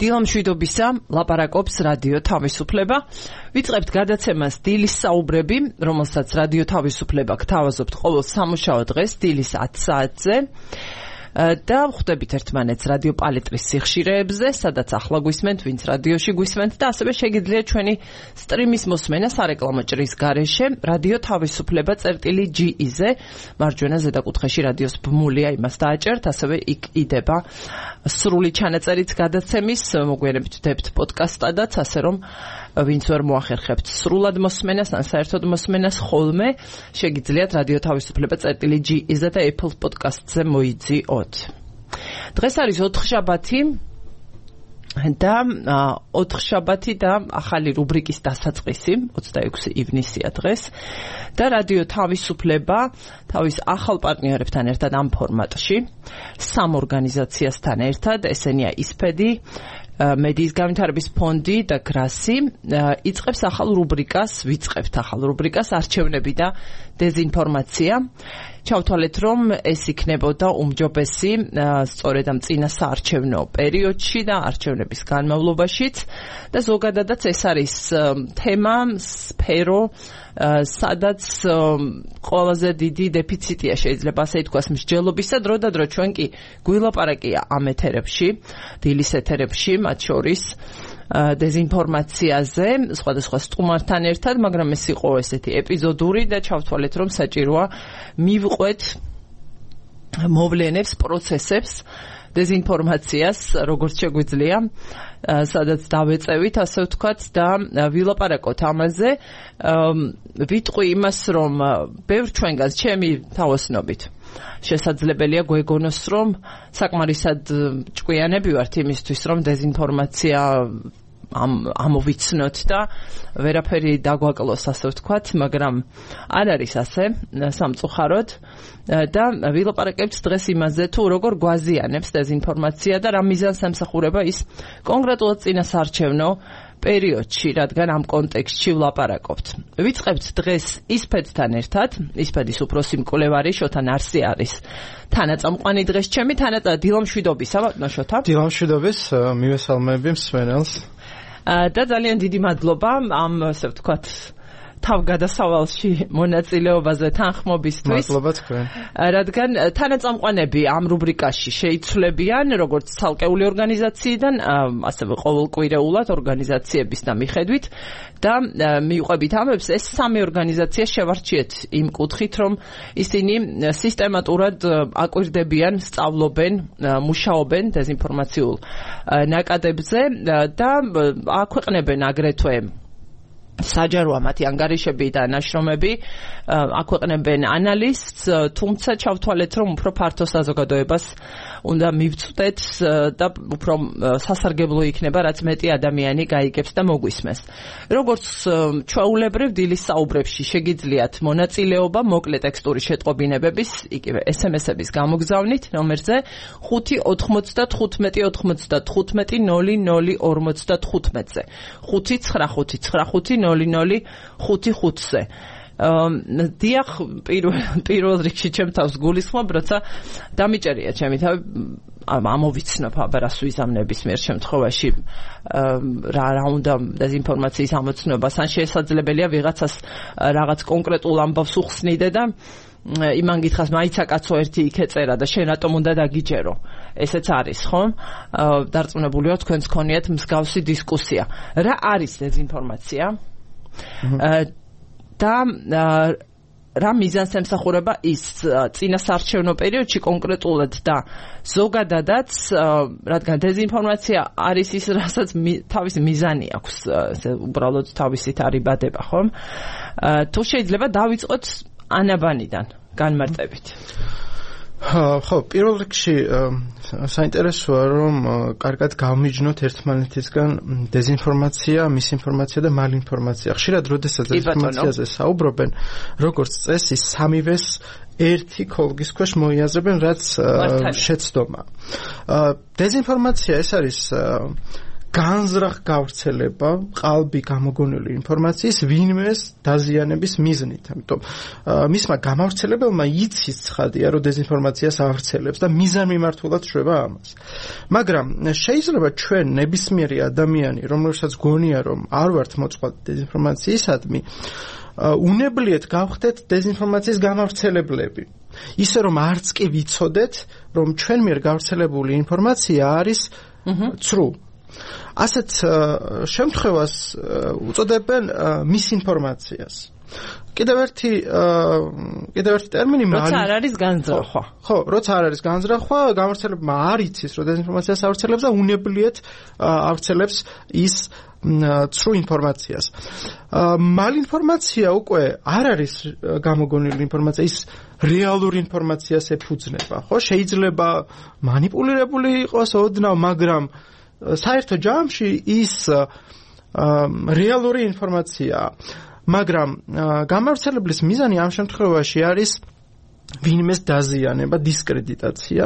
დილამშვიდობისა, ლაპარაკობს რადიო თავისუფლება. ვიწყებთ გადაცემას დილის საუბრები, რომელსაც რადიო თავისუფლება გთავაზობთ ყოველ სამუშაო დღეს დილის 10 საათზე. და ხვდებით ერთმანეთს რადიო პალეტრის სიხშირეებზე, სადაც ახლა გვისმენთ, ვინც რადიოში გვისმენთ და ასევე შეგიძლიათ ჩვენი სტრიმის მოსმენა სარეკლამო ჭრის გარეშე რადიო თავისუფლება წერტილი.ge-ზე, მარჯვენა ზედაკუთხეში რადიოს ბმულია, იმას დააჭერთ, ასევე იქ იდება სრული ჩანაწერიც გადაცემის, მოგვიანებით ვდებთ პოდკასტადაც, ასე რომ ვინც ვერ მოახერხებთ სრულად მოსმენას ან საერთოდ მოსმენას ხოლმე, შეგიძლიათ რადიო თავისუფლება წერტილი.ge-ზე და Apple Podcast-ზე მოიძიოთ. დღეს არის 4 შაბათი და ახალი რუბრიკის დასაწყისი, 26 ივნისია დღეს და რადიო თავისუფლება თავის ახალ პარტნიორებთან ერთად ამ ფორმატში, 3 ორგანიზაციასთან ერთად, ესენია ისფედი, მედიის განვითარების ფონდი და გრასი, ვიწყებთ ახალ რუბრიკას არჩევნები და დეზინფორმაცია. ჩავთვალეთ, რომ ეს იქნებოდა უმჯობესი სწორედ ამ წინა საარჩევნო პერიოდში და არჩევნების განმავლობაშიც და ზოგადადაც ეს არის თემა, სფერო, სადაც ყველაზე დიდი დეფიციტია, შეიძლება ასე ითქვას, მსჯელობისა. დრო და დრო ჩვენ კი გვილაპარაკია ამ ეთერებში, დილის ეთერებში, მათ შორის დეზინფორმაციაზე, სხვადასხვა სტუმართან ერთად, მაგრამ ეს იყო ესეთი ეპიზოდური და ჩავთვალეთ, რომ საჭიროა მივყვეთ მოვლენებს, პროცესებს, დეზინფორმაციას, როგორც შეგვიძლია, სადაც დავეწევით, ასე ვთქვათ, და ვილაპარაკოთ ამაზე. ვიტყვი იმას, რომ ბევრ ჩვენგანს ჩემი თავოსნობით შესაძლებელია გვეგონოს, რომ საკმარისად ჭკვიანები ვართ იმისთვის, რომ დეზინფორმაცია ამოვიცნოთ და ვერაფერი დაგვაკლოს, ასე ვთქვათ, მაგრამ არ არის ასე სამწუხაროდ და ვილაპარაკებთ დღეს იმაზე, თუ როგორ გვაზიანებს დეზინფორმაცია და რა მიზანს ემსახურება ის კონკრეტულად წინა საარჩევნო პერიოდში, რადგან ამ კონტექსტში ვლაპარაკობთ. ვიწყებთ დღეს ისფედთან ერთად, ისფედის უფროსი მკვლევარი შოთა ნარსი არის თანაწამყვანი დღეს ჩემი, დილამშვიდობისა, ბატონო შოთა. დილამშვიდობის, მივესალმები მსმენელს. და ძალიან დიდი მადლობა ამ, ასე ვთქვათ, თავგადასავალში მონაწილეობაზე თანხმობისთვის. მადლობა თქვენ. რადგან თანაწამყვანები ამ რუბრიკაში შეიცვლებიან როგორც ცალკეული ორგანიზაციიდან, ასევე ყოველკვირეულად ორგანიზაციების და მიხედვით და მიუყვებით ამებს, ეს 3 ორგანიზაცია შევარჩიეთ იმ კუთხით, რომ ისინი სისტემატურად აკვირდებიან, სწავლობენ, მუშაობენ დეზინფორმაციულ ნაკადებზე და აქვეყნებენ აგრეთვე საჯაროა მათი ანგარიშები და ნაშრომები, აქვეყნებენ ანალიზს, თუმცა ჩავთვალეთ, რომ უფრო ფართო საზოგადოებას უნდა მივწვდეთ და უფრო სასარგებლო იქნება, რაც მეტი ადამიანი გაიგებს და მოგვისმენს. როგორც ჩვეულებრივ დილის საუბრებში შეგიძლიათ მონაწილეობა მოკლე ტექსტური შეტყობინებების, იგივე SMS-ების გამოგზავნით ნომერზე 595-95-00-55-00-55-ზე 595-95-00-55-ზე. დიახ, პირველ რიგში ჩემ თავს გულისხმობ, როცა დამიჭერია ჩემი თავი, ამოვიცნობ აბარას ვიზამნების მიერ შემთხვევაში რა უნდა დეზინფორმაციის ამოცნობას, ან შესაძლებელია ვიღაცას რაღაც კონკრეტულ ამბავს უხსნიდე და იმან გითხრას, მაიცა კაცო ერთი იქ ეწერა და შენ რატომ უნდა დაგიჯერო. ესეც არის, ხო? დარწმუნებული ვარ, თქვენს გქონიათ მსგავსი დისკუსია. რა არის დეზინფორმაცია? და რა მიზანს ემსახურება ის წინა საარჩევნო პერიოდში კონკრეტულად და ზოგადადაც, რადგან დეზინფორმაცია არის ის, რასაც თავისი მიზანი აქვს, უბრალოდ თავისით არიბადება, ხომ? თუ შეიძლება დავიწყოთ ანაბანიდან განმარტებით. ხო, პირველ რიგში საინტერესოა, რომ კარგად გავმიჯნოთ ერთმანეთისგან დეზინფორმაცია, მისინფორმაცია და მალინფორმაცია. ხშირად როდესაც დეზინფორმაციაზე საუბრობენ, როგორც წესი, სამივეს ერთი ქოლგის ქვეშ მოიაზრებენ, რაც შეცდომა. დეზინფორმაცია ეს არის განზრახ გავრცელება ყალბი გამოგონილი ინფორმაციის ვინმეს დაზიანების მიზნით. ამიტომ მისმა გამავრცელებელმა იცის ცხადია, რომ დეზინფორმაციას ავრცელებს და მიზანმიმართულად შვება ამას. მაგრამ შეიძლება ჩვენ ნებისმიერი ადამიანი, რომელსაც გონია, რომ არ ვართ მოწყვლადი დეზინფორმაციისადმი, უნებლიეთ გავხდეთ დეზინფორმაციის გამავრცელებლები. ისე რომ არც კი ვიცოდეთ, რომ ჩვენ მიერ გავრცელებული ინფორმაცია არის ცრუ. ასეთ შემთხვევას უწოდებენ მისინფორმაციას. კიდევ ერთი ტერმინი როცა არ არის განზრახვა. ხო, როცა არ არის განზრახვა, გამავრცელებმა არ იცის, რომ დეზინფორმაციას ავრცელებს და უნებლიეთ ავრცელებს ის ცრუ ინფორმაციას. მალინფორმაცია უკვე არ არის გამოგონილი ინფორმაცია, ის რეალური ინფორმაციას ეფუძნება. ხო, შეიძლება მანიპულირებული იყოს ოდნავ, მაგრამ საერთო ჯამში ის რეალური ინფორმაციაა. მაგრამ გამავრცელებლის მიზანი ამ შემთხვევაში არის ვინმეს დაზიანება, დისკრედიტაცია.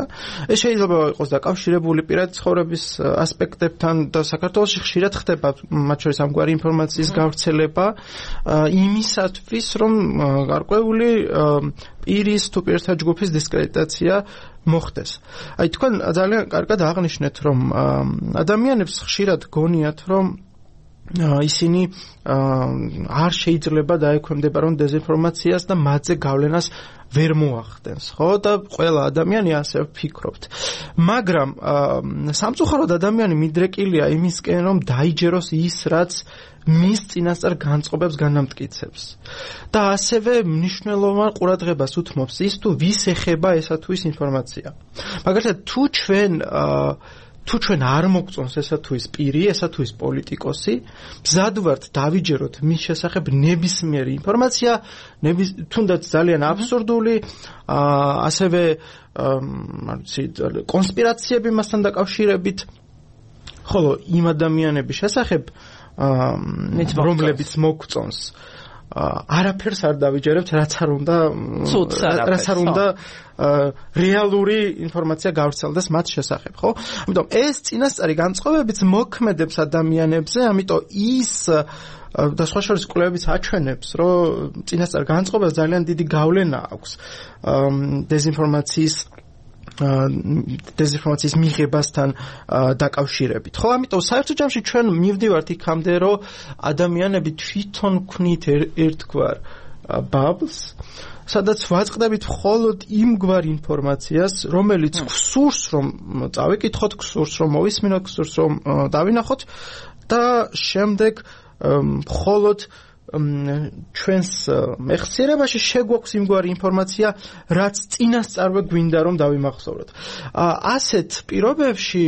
ეს შეიძლება იყოს დაკავშირებული პირადი ცხოვრების ასპექტებთან და საქართველოში ხშირად ხდება მათ შორის ამგვარი ინფორმაციის გავრცელება იმისათვის, რომ გარკვეული პირის თუ პირთა ჯგუფის დისკრედიტაცია მოხდეს. აი თქვენ ძალიან კარგად აღნიშნეთ, რომ ადამიანებს ხშირად გონიათ, რომ ისინი არ შეიძლება დაექვემდებარონ დეზინფორმაციას და მათზე გავლენას ვერ მოახდენს, ხო? და ყველა ადამიანი ასე ვფიქრობთ. მაგრამ სამწუხაროდ ადამიანი მიდრეკილია იმისკენ, რომ დაიჯეროს ის, რაც მის წინასწარ განწყობებს განამტკიცებს. და ასევე მნიშვნელოვან ყურადღებას უთმობს ის, თუ ვის ეხება ესა თუ ის ინფორმაცია. მაგალითად, თუ ჩვენ არ მოგწონს ესა თუ ის პირი, ესა თუ ის პოლიტიკოსი, მზად ვართ დავიჯეროთ მის შესახებ ნებისმიერი ინფორმაცია, თუნდაც ძალიან აბსურდული, ასევე კონსპირაციები მასთან დაკავშირებით, ხოლო იმ ადამიანების შესახებ, რომლებიც მოგწონს, არაფერს არ დავიჯერებთ, რაც არ უნდა რეალური ინფორმაცია გავრცელდეს მათ შესახებ, ხო? ამიტომ ეს წინასწარი განწყობებიც მოქმედებს ადამიანებზე, ამიტომ ის და სხვა შორის კვლევებიც აჩვენებს, რომ წინასწარ განწყობებს ძალიან დიდი გავლენა აქვს დეზინფორმაციის მიღებასთან დაკავშირებით. ხო, ამიტომ საერთო ჯამში ჩვენ მივდივართ იქამდე, რომ ადამიანები თვითონ ქმნით ერთგვარ bubbles, სადაც ვაწყდებით მხოლოდ იმგვარ ინფორმაციას, რომელიც გსურს, რომ წავიკითხოთ, გსურს, რომ მოვისმინოთ, გსურს, რომ დავინახოთ და შემდეგ მხოლოდ ჩვენს მეხსიერებაში შეგვაქვს იმგვარი ინფორმაცია, რაც წინასწარვე გვინდა რომ დავიმახსოვროთ. ასეთ პირობებში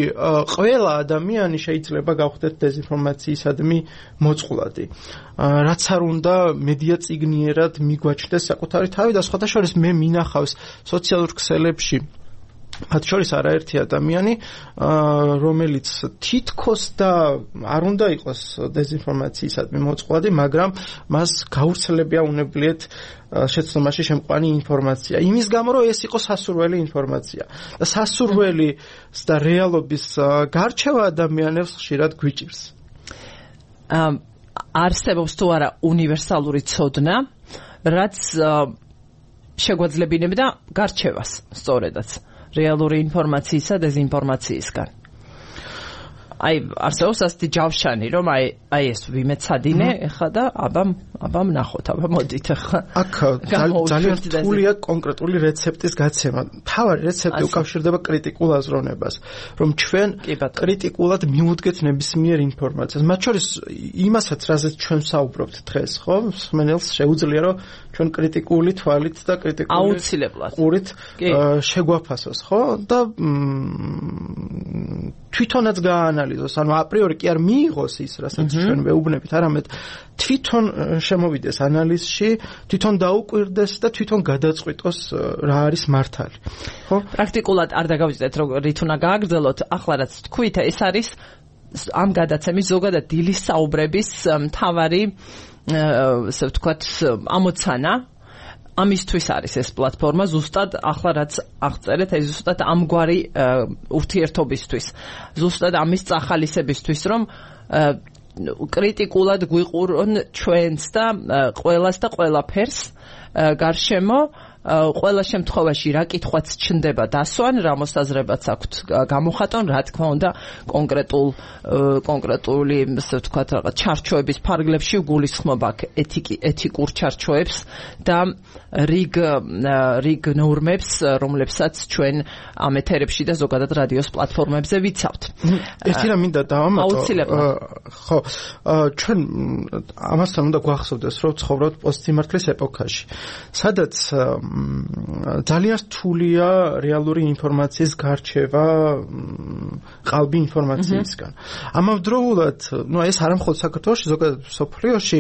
ყველა ადამიანი შეიძლება გავხდეთ დეზინფორმაციისადმი მოწყვლადი. რაც არ უნდა მედია წიგნიერად მიგვაჩნდეს საკუთარი თავი და სხვათა შორის მე მინახავს სოციალურ ქსელებში მათ შორის არაერთი ადამიანი, რომელიც თითქოს და არ უნდა იყოს დეზინფორმაციისადმი მოწყვლადი, მაგრამ მას გავრცელებია უნებლიეთ შეცდომაში შემყვანი ინფორმაცია. იმის გამო, რომ ეს იყო სასურველი ინფორმაცია. და სასურველის და რეალობის გარჩევა ადამიანებს ხშირად გვიჭირს. არსებობს თუ არა უნივერსალური ცოდნა, რაც შეგვაძლებინებდა გარჩევას სწორედაც. რეალური ინფორმაციისა და დეზინფორმაციისგან. აი, არსებობს ასეთი ჯავშანი, რომ აი ეს ვიმეცადინე, ეხლა და აბა ვნახოთ, აბა მოდით ეხლა. აქ ძალიან რთულია კონკრეტული რეცეპტის გაცემა. თავარი რეცეპტი უკავშირდება კრიტიკულ აზროვნებას, რომ ჩვენ კრიტიკულად მივუდგეთ ნებისმიერ ინფორმაციას. მათ შორის იმასაც, რაზეც ჩვენ საუბრობთ დღეს, ხო? მსმენელს შეუძლია, რომ ჩვენ კრიტიკული თვალით და კრიტიკული აუცილებლად ყურით შეგვაფასოს, ხო? და თვითონაც გააანალიზოს, ანუ აპრიორი კი არ მიიღოს ის, რასაც ჩვენ ვეუბნებით, არამედ თვითონ შემოვიდეს ანალიზში, თვითონ დაუკვირდეს და თვითონ გადაწყვიტოს რა არის მართალი. ხო? პრაქტიკულად არ დაგავიწყდეთ, რომ რით უნდა გააგრძელოთ, ახლა რაც თქვით, ეს არის ამ გადაცემის ზოგადად დილის საუბრების მთავარი, ასე ვთქვათ, ამოცანა. ამისთვის არის ეს პლატფორმა ზუსტად ახლა რაც აღწერეთ ეს ზუსტად ამგვარი ურთიერთობისთვის ზუსტად ამის წახალისებისთვის რომ კრიტიკულად გვიყურონ ჩვენს და ყველას და ყველაფერს გარშემო ყველა შემთხვევაში რა კითხვაც ჩნდება დასვან, რა მოსაზრებაც აქვთ გამოხატონ, რა თქმა უნდა კონკრეტული ასე ვთქვათ რაღაც ჩარჩოების ფარგლებში გულისხმობა ეთიკურ ჩარჩოებს და რიგ ნორმებს, რომლებსაც ჩვენ ამ ეთერებში და ზოგადად რადიოს პლატფორმებზე ვიცავთ. ერთი რამ მინდა დავამატო. აუცილებლად. ხო, ჩვენ ამასთან უნდა გვახსოვდეს, რომ ცხოვრობთ პოსტსიმართლის ეპოქაში, სადაც ძალიან რთულია რეალური ინფორმაციის გარჩევა ყალბი ინფორმაციისგან. ამავდროულად, ეს არა მხოლოდ საქართველოში, ზოგადად მსოფლიოში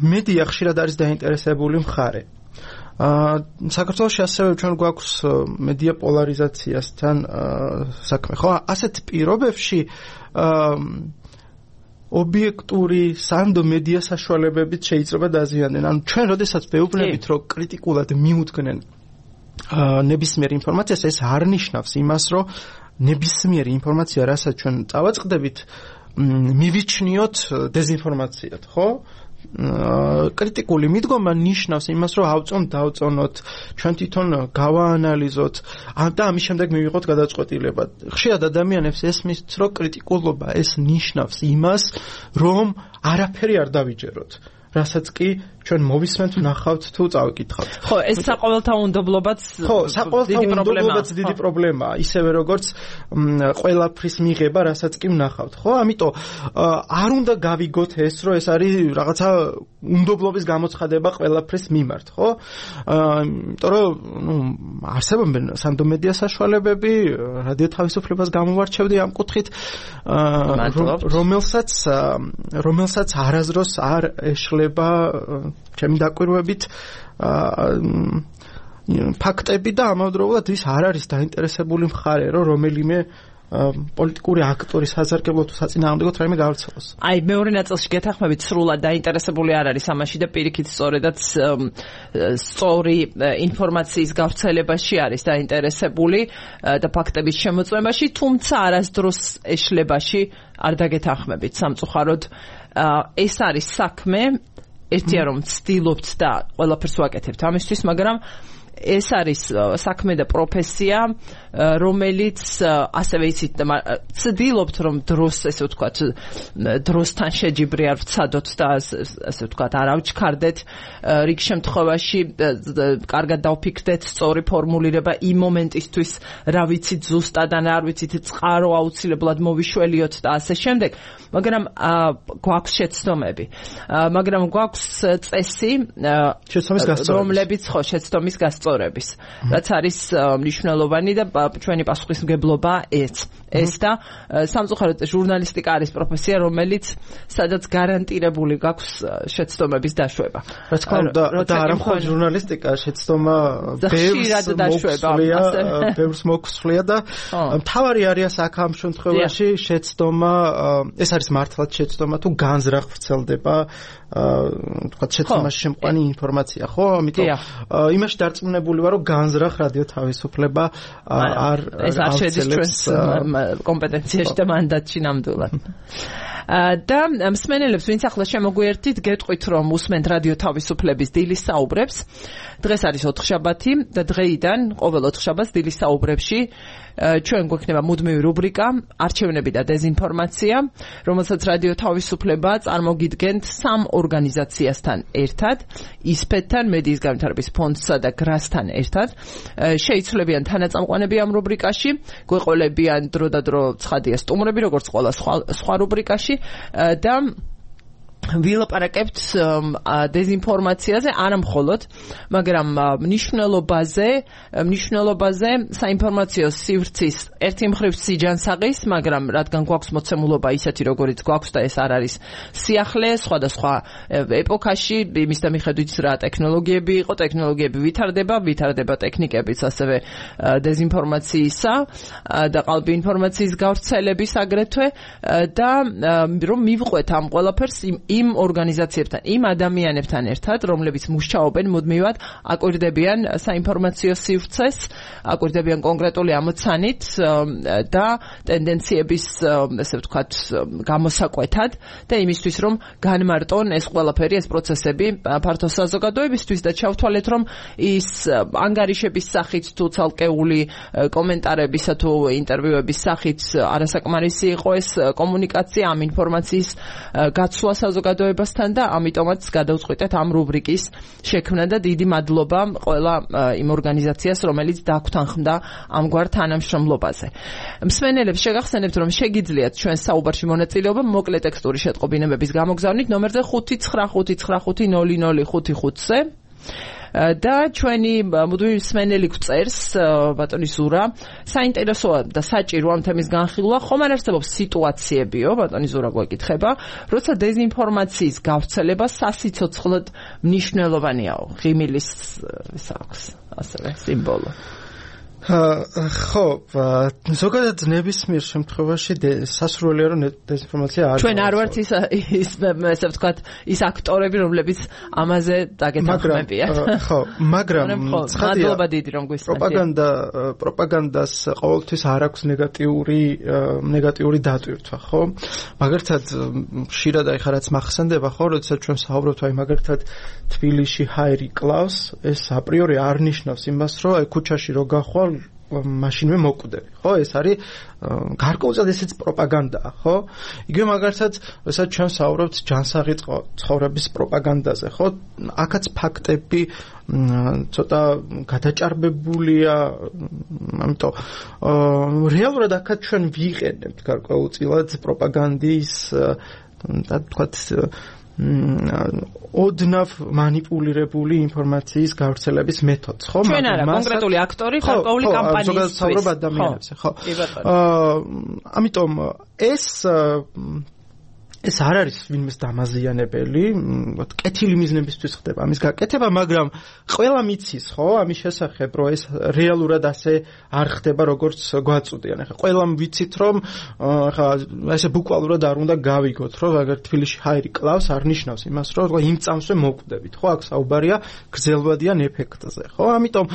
მედია ხშირად არის დაინტერესებული მხარე. საქართველოში ასევე ჩვენ გვაქვს მედია პოლარიზაციასთან საქმე. ხო, ასეთ პირობებში ობიექტური სანდო მედია საშუალებებით შეიძლება დაზიანდნენ. ანუ ჩვენ როდესაც ვეუბნებით, რომ კრიტიკულად მიუძგნენ ნებისმიერ ინფორმაციას, ეს არ ნიშნავს იმას, რომ ნებისმიერი ინფორმაცია, რასაც ჩვენ წავაწყდებით, მივიჩნიოთ დეზინფორმაციად, ხო? კრიტიკული მიდგომა ნიშნავს იმას, რომ დავწონოთ, ჩვენ თვითონ გავაანალიზოთ და ამის შემდეგ მივიღოთ გადაწყვეტილება. ხშირად ადამიანებს ესმის, რომ კრიტიკულობა ეს ნიშნავს იმას, რომ არაფერი არ დავიჯეროთ. რასაც კი ჩვენ მოვისმენთ, ვნახავთ თუ წავიკითხავთ. ხო, ეს საყოველთაუნდობლობაც დიდი პრობლემაა, ისევე როგორც ყველაფრის მიღება, რასაც კი ვნახავთ. ხო, ამიტომ არ უნდა გავიგოთ ეს, რომ ეს არის რაღაცა უნდობლობის გამოცხადება ყველაფრის მიმართ, ხო? იმიტომ რომ არსებობენ სანდო მედია საშუალებები, რადიო თავისუფლებას გამოვარჩევდი ამ კუთხით, რომელსაც არაზროს არ ეშლება ჩემი დაკვირვებით ფაქტები და ამავდროულად ის არ არის დაინტერესებული მხარე, რომ რომელიმე პოლიტიკური აქტორი საზარგებლო თუ საწინააღმდეგოდ რაიმე გავრცელოს. აი, მეორე ნაწილში გეთანხმებით, სრულად დაინტერესებული არ არის ამაში და პირიქით სწორედაც სწორი ინფორმაციის გავრცელებაში არის დაინტერესებული და ფაქტების შემოწმებაში, თუმცა არასდროს ეშლებაში არ დაგეთანხმებით სამწუხაროდ. ეს არის საქმე ერთია რომ ვცდილობთ და ყველაფერს ვაკეთებთ ამისთვის, მაგრამ ეს არის საქმე და პროფესია, რომელიც ასევე იცით ვცდილობთ რომ დროს ესე ვთქვათ დროსთან შეჯიბრი არ ვცადოთ და ასე ვთქვათ არ ავჩქარდეთ რიგ შემთხვევაში კარგად დავფიქრდეთ სწორი ფორმულირება იმ მომენტისთვის რა ვიცით ზუსტად ან არ ვიცით წყარო აუცილებლად მოვიშველიოთ და ასე შემდეგ, მაგრამ გვაქვს შეცდომები, მაგრამ გვაქვს წესი რომლებიც ხო შეცდომის გასწორების, რაც არის მნიშვნელოვანი და ჩვენი პასუხისმგებლობა ეს და სამწუხაროდ ჟურნალისტიკა არის პროფესია, რომელიც სადაც გარანტირებული გაქვს შეცდომების დაშვება. რა თქმა უნდა, და არა მხოლოდ ჟურნალისტიკა, შეცდომა ბევრს მოგსვლია და მთავარი არის აქ ამ შემთხვევაში შეცდომა, ეს არის მართლაც შეცდომა თუ განზრახ ვრცელდება თქვა შეცდომაში შემყვანი ინფორმაცია, ხო? ამიტომ იმაში დარწმუნებული ვარ, რომ განზრახ რადიო თავისუფლება ეს არ შედის ჩვენს კომპეტენციაში და მანდატში ნამდვილად. და მსმენელებს, ვინც ახლა შემოგვიერთით, გეტყვით, რომ უსმენთ რადიო თავისუფლების დილის საუბრებს. დღეს არის ოთხშაბათი და დღეიდან ყოველ ოთხშაბათს დილის საუბრებში ჩვენ გვექნება მუდმივი რუბრიკა არჩევნები და დეზინფორმაცია, რომელსაც რადიო თავისუფლება წარმოგიდგენთ სამ ორგანიზაციასთან ერთად, ისფეთთან, მედიის განვითარების ფონდსა და გრასთან ერთად. შეიცვლებიან თანაწამყვანები ამ რუბრიკაში, გვეყოლებიან დრო და დრო ცხადია სტუმრები, როგორც ყველა სხვა რუბრიკაში და ვილაპარაკებთ დეზინფორმაციაზე, არა მხოლოდ, მაგრამ მნიშვნელობაზე საინფორმაციო სივრცის ერთი მხრივ სიჯანსაღის, მაგრამ რადგან გვაქვს მოცემულობა ისეთი, როგორიც გვაქვს და ეს არ არის სიახლე, სხვადასხვა ეპოქაში, იმის და მიხედვით რა ტექნოლოგიები იყო, ტექნოლოგიები ვითარდება ტექნიკებიც ასევე დეზინფორმაციისა და ყალბი ინფორმაციის გავრცელების აგრეთვე და რომ მივყვეთ ამ ყველაფერს იმ ორგანიზაციებთან, იმ ადამიანებთან ერთად, რომლებიც მუშაობენ მუდმივად, აკვირდებიან საინფორმაციო სივრცეს, აკვირდებიან კონკრეტული ამოცანით და ტენდენციების, ესე ვთქვათ, გამოსაკვეთად და იმისთვის, რომ განმარტონ ეს ყველაფერი, ეს პროცესები ფართო საზოგადოებისთვის და ჩავთვალეთ, რომ ის ანგარიშების სახით თუ ცალკეული კომენტარებისა თუ ინტერვიუების სახით არასაკმარისი იყო ეს კომუნიკაცია, ამ ინფორმაციის გაცვლა საზოგადოებასთან და ამიტომაც გადავწყვიტეთ ამ რუბრიკის შექმნა და დიდი მადლობა ყველა იმ ორგანიზაციას, რომელიც დაგვთანხმდა ამგვარ თანამშრომლობაზე. მსმენელებს შეგახსენებთ, რომ შეგიძლიათ ჩვენ საუბარში მონაწილეობა მოკლე ტექსტური შეტყობინებების გამოგზავნით ნომერზე 595500555-ზე და ჩვენი მუდმივი მსმენელი გვწერს ბატონი ზურა, საინტერესოა და საჭირო ამ თემის განხილვა, ხომ არ არსებობს სიტუაციებიო, ბატონი ზურა გვეკითხება, როცა დეზინფორმაციის გავრცელება სასიცოცხლოდ მნიშვნელოვანიაო, ღიმილის აქვს ასევე სიმბოლო. ხო, ზოგადად ნებისმიერ შემთხვევაში სასურველია რომ დეზინფორმაცია არ ჩვენ არ ვართ ის ესე ვთქვათ ის აქტორები რომლებიც ამაზე დაგეთანხმებიან. ხო, მაგრამ მადლობა დიდი რომ გვისმენთ. პროპაგანდას ყოველთვის არ აქვს ნეგატიური დატვირთვა, ხო? მაგალითად ხშირად აი ხარაც მახსენდება, ხო, როდესაც ჩვენ საუბრობთ აი მაგალითად თბილისში ჰაერი კლავს, ეს აპრიორი არ ნიშნავს იმას, რომ აი ქუჩაში რო გახვალ მაშინვე მოკვდები, ხო? ეს არის გარკვეულწილად ესეც პროპაგანდაა, ხო? იგივე მაგალითად, როდესაც ჩვენ საუბრობთ ჯანსაღი ცხოვრების პროპაგანდაზე, ხო? აქაც ფაქტები ცოტა გადაჭარბებულია, ამიტომ რეალურად აქაც ჩვენ ვიყენებთ გარკვეულწილად პროპაგანდის და თქვათ ოდნავ მანიპულირებული ინფორმაციის გავრცელების მეთოდს, ხო? ჩვენ არა, კონკრეტული აქტორი გარკვეული კამპანიისთვის. ზოგადად საუბრობ ადამიანებზე, ხო? ამიტომ ეს არ არის ვინმეს დამაზიანებელი, კეთილი მიზნებისთვის ხდება ამის გაკეთება, მაგრამ ყველა მიცის, ხო, ამის შესახებ, რომ ეს რეალურად ასე არ ხდება, როგორც გვაწუდიან. ახლა ყველამ ვიცით, რომ ახლა ესე ბუკვალურად არ უნდა გავიგოთ, რომ აგერ თბილისში ჰაერი კლავს, არ ნიშნავს იმას, რომ იმ წამსვე მოკვდებით, ხო, აქ საუბარია გრძელვადიან ეფექტზე, ხო? ამიტომ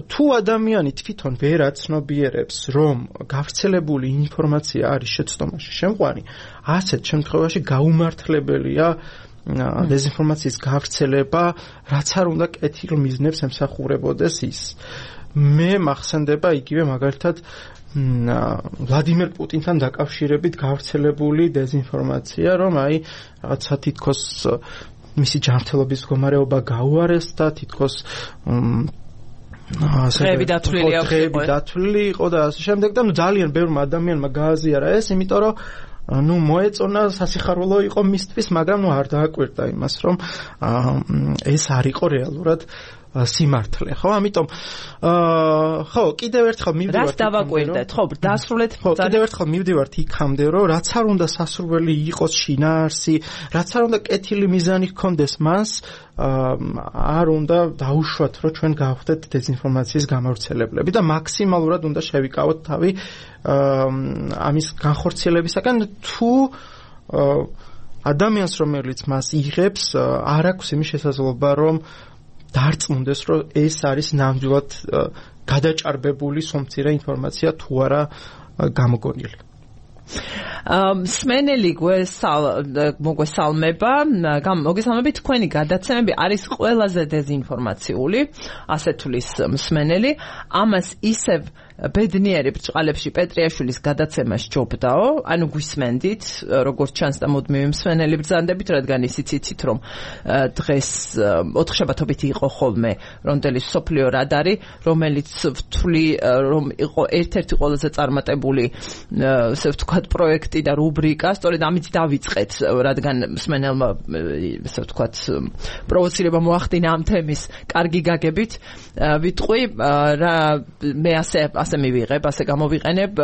თუ ადამიანი თვითონ ვერ აცნობიერებს, რომ გავრცელებული ინფორმაცია არის შეცდომაში შემყვანი, ასეთ შემთხვევაში გაუმართლებელია დეზინფორმაციის გავრცელება, რაც არ უნდა კეთილ მიზნებს ემსახურებოდეს ის. მე მახსენდება იგივე მაგალითად ვლადიმერ პუტინთან დაკავშირებით გავრცელებული დეზინფორმაცია, რომ აი რაღაცა თითქოს მისი ჯანმრთელობის მდგომარეობა გაუარესდა, თითქოს დღეები დათვლილი იყო და ასე შემდეგ და ძალიან ბევრმა ადამიანმა გააზიარა ეს, იმიტომ რომ მოეწონა სასიხარულო იყო მისთვის, მაგრამ არ დააკვირდა იმას, რომ ეს არ იყო რეალურად სიმართლე, ხო? ამიტომ ხო, კიდევ ერთხელ მივდივართ. რას დავაკვირდეთ? ხო, დასრულეთ. ხო, კიდევ ერთხელ მივდივართ იქამდე, რომ რაც არ უნდა სასურველი იყოს შინაარსი, რაც არ უნდა კეთილი მიზანი ჰქონდეს მას, არ უნდა დაუშვათ, რომ ჩვენ გავხდეთ დეზინფორმაციის გამავრცელებლები და მაქსიმალურად უნდა შევიკავოთ თავი ამის განხორციელებისაგან, თუ ადამიანს, რომელიც მას იღებს, არ აქვს იმის შესაძლებლობა, რომ დარწმუნდეს, რომ ეს არის ნამდვილად გადაჭარბებული სომცირე ინფორმაცია თუ არა გამოგონილი. მსმენელი მოგესალმება, მოგესალმებით, თქვენი გადაცემები არის ყველაზე დეზინფორმაციული, ასე თulis მსმენელი, ამას ისევ ბედნიერი ბრჭყალებში პეტრიაშვილის გადაცემა სჯობდაო, ანუ გვისმენდით, როგორც ჩანს და მუდმივი მსმენელი ბრძანდებით, რადგან ისიც იცით, რომ დღეს ოთხშაბათობით იყო ხოლმე რონდელის სოფლიო რადარი, რომელიც ვთვლი, რომ იყო ერთ-ერთი ყველაზე წარმატებული, ასე ვთქვათ, პროექტი და რუბრიკა, სწორედ ამით დავიწყეთ, რადგან მსმენელმა, ასე ვთქვათ, პროვოცირება მოახდინა ამ თემის კარგი გაგებით, ვიტყვი, მე ასე მივიღებ, ასე გამოვიყენებ,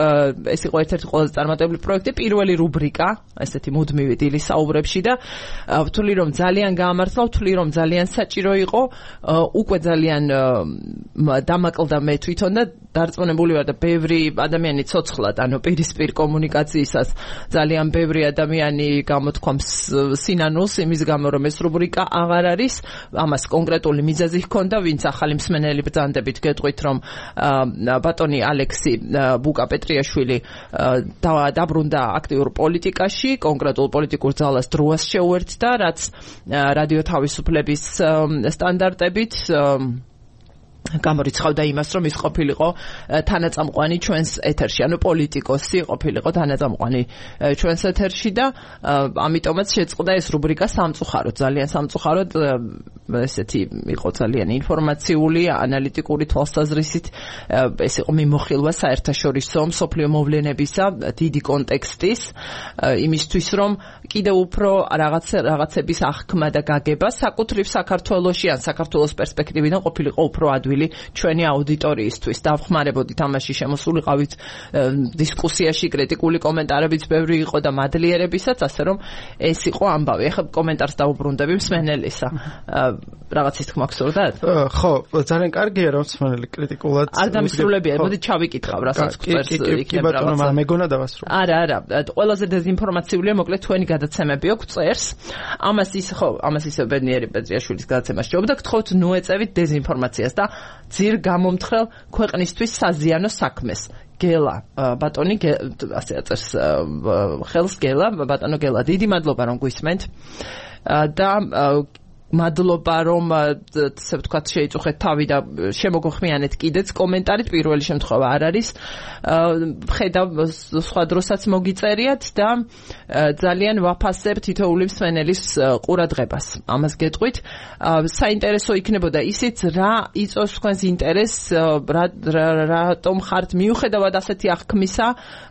ეს იყო ერთ-ერთი ყველაზე წარმატებული პროექტი, პირველი რუბრიკა, ესეთი მუდმივი დილის საუბრებში და ვთვლი, რომ ძალიან გაამართლა, ვთვლი, რომ ძალიან საჭირო იყო, უკვე ძალიან დამაკლდა მე თვითონ და დარწმუნებული ვარ და ბევრი ადამიანი ცოცხლად, ანუ პირისპირ კომუნიკაციისას ძალიან ბევრი ადამიანი გამოთქვამს სინანულს იმის გამო რომ ეს რუბრიკა აღარ არის ამას კონკრეტული მიზეზი ჰქონდა ვინც ახალი მსმენელი ბრძანდებით გეტყვით რომ ბატონი ალექსი ბუკა-პეტრიაშვილი დაბრუნდა აქტიურ პოლიტიკაში კონკრეტულ პოლიტიკურ ძალას დროას შეუერთდა რაც რადიო თავისუფლების სტანდარტებით გამორიცხავდა იმას, რომ ის ყოფილიყო თანაწამყვანი ჩვენს ეთერში, ანუ პოლიტიკოსი ყოფილიყო თანაწამყვანი ჩვენს ეთერში და ამიტომაც შეწყდა ეს რუბრიკა სამწუხაროდ, ძალიან სამწუხაროდ, ესეთი იყო ძალიან ინფორმაციული, ანალიტიკური თვალსაზრისით, ეს იყო მიმოხილვა საერთაშორისო მსოფლიო მოვლენებისა დიდი კონტექსტის, იმისთვის რომ კიდევ უფრო რაღაცების აღქმა და გაგება საკუთრივ საქართველოში ან საქართველოს პერსპექტივიდან ყოფილიყო უფრო ადვილი ჩვენი აუდიტორიისთვის დავხმარებოდით ამაში შემოსულიყავით დისკუსიაში კრიტიკული კომენტარებიც ბევრი იყო და მადლიერებისაც ასე რომ ეს იყო ამბავი ახლა კომენტარს დავუბრუნდები მსმენელისა რაღაცის თქმა გსურდათ ხო ძალიან კარგია რომ მსმენელი კრიტიკულად არ დამისრულებია მოდი ჩავიკითხავ რასაც წერს იქნება რაღაცა მეგონა დავასრულე არა ყველაზე დეზინფორმაციულია მოკლედ თქვენი გადაცემები აქვს წერს ამას ისე ბედნიერი პეტრიაშვილის გადაცემა შეობდა გთხოვთ ნუ ეწევით დეზინფორმაციას და ძირ გამომთხრელ ქვეყნისთვის საზიანო საქმეს გელა ბატონი ასე აწერს ხელს გელა ბატონო გელა დიდი მადლობა რომ გვისმენთ და მადლობა რომ ასე ვთქვათ შეიწუხეთ თავი და შემოგხმიანეთ კიდეც კომენტარით პირველი შემთხვევა არ არის ხედავ სხვა დროსაც მოგიწერიათ და ძალიან ვაფასებ თითოეული მსმენელის ყურადღებას ამას გეტყვით საინტერესო იქნებოდა ისიც რა იწვევს თქვენს ინტერესს რატომ ხართ მიუხედავად ასეთი აღქმისა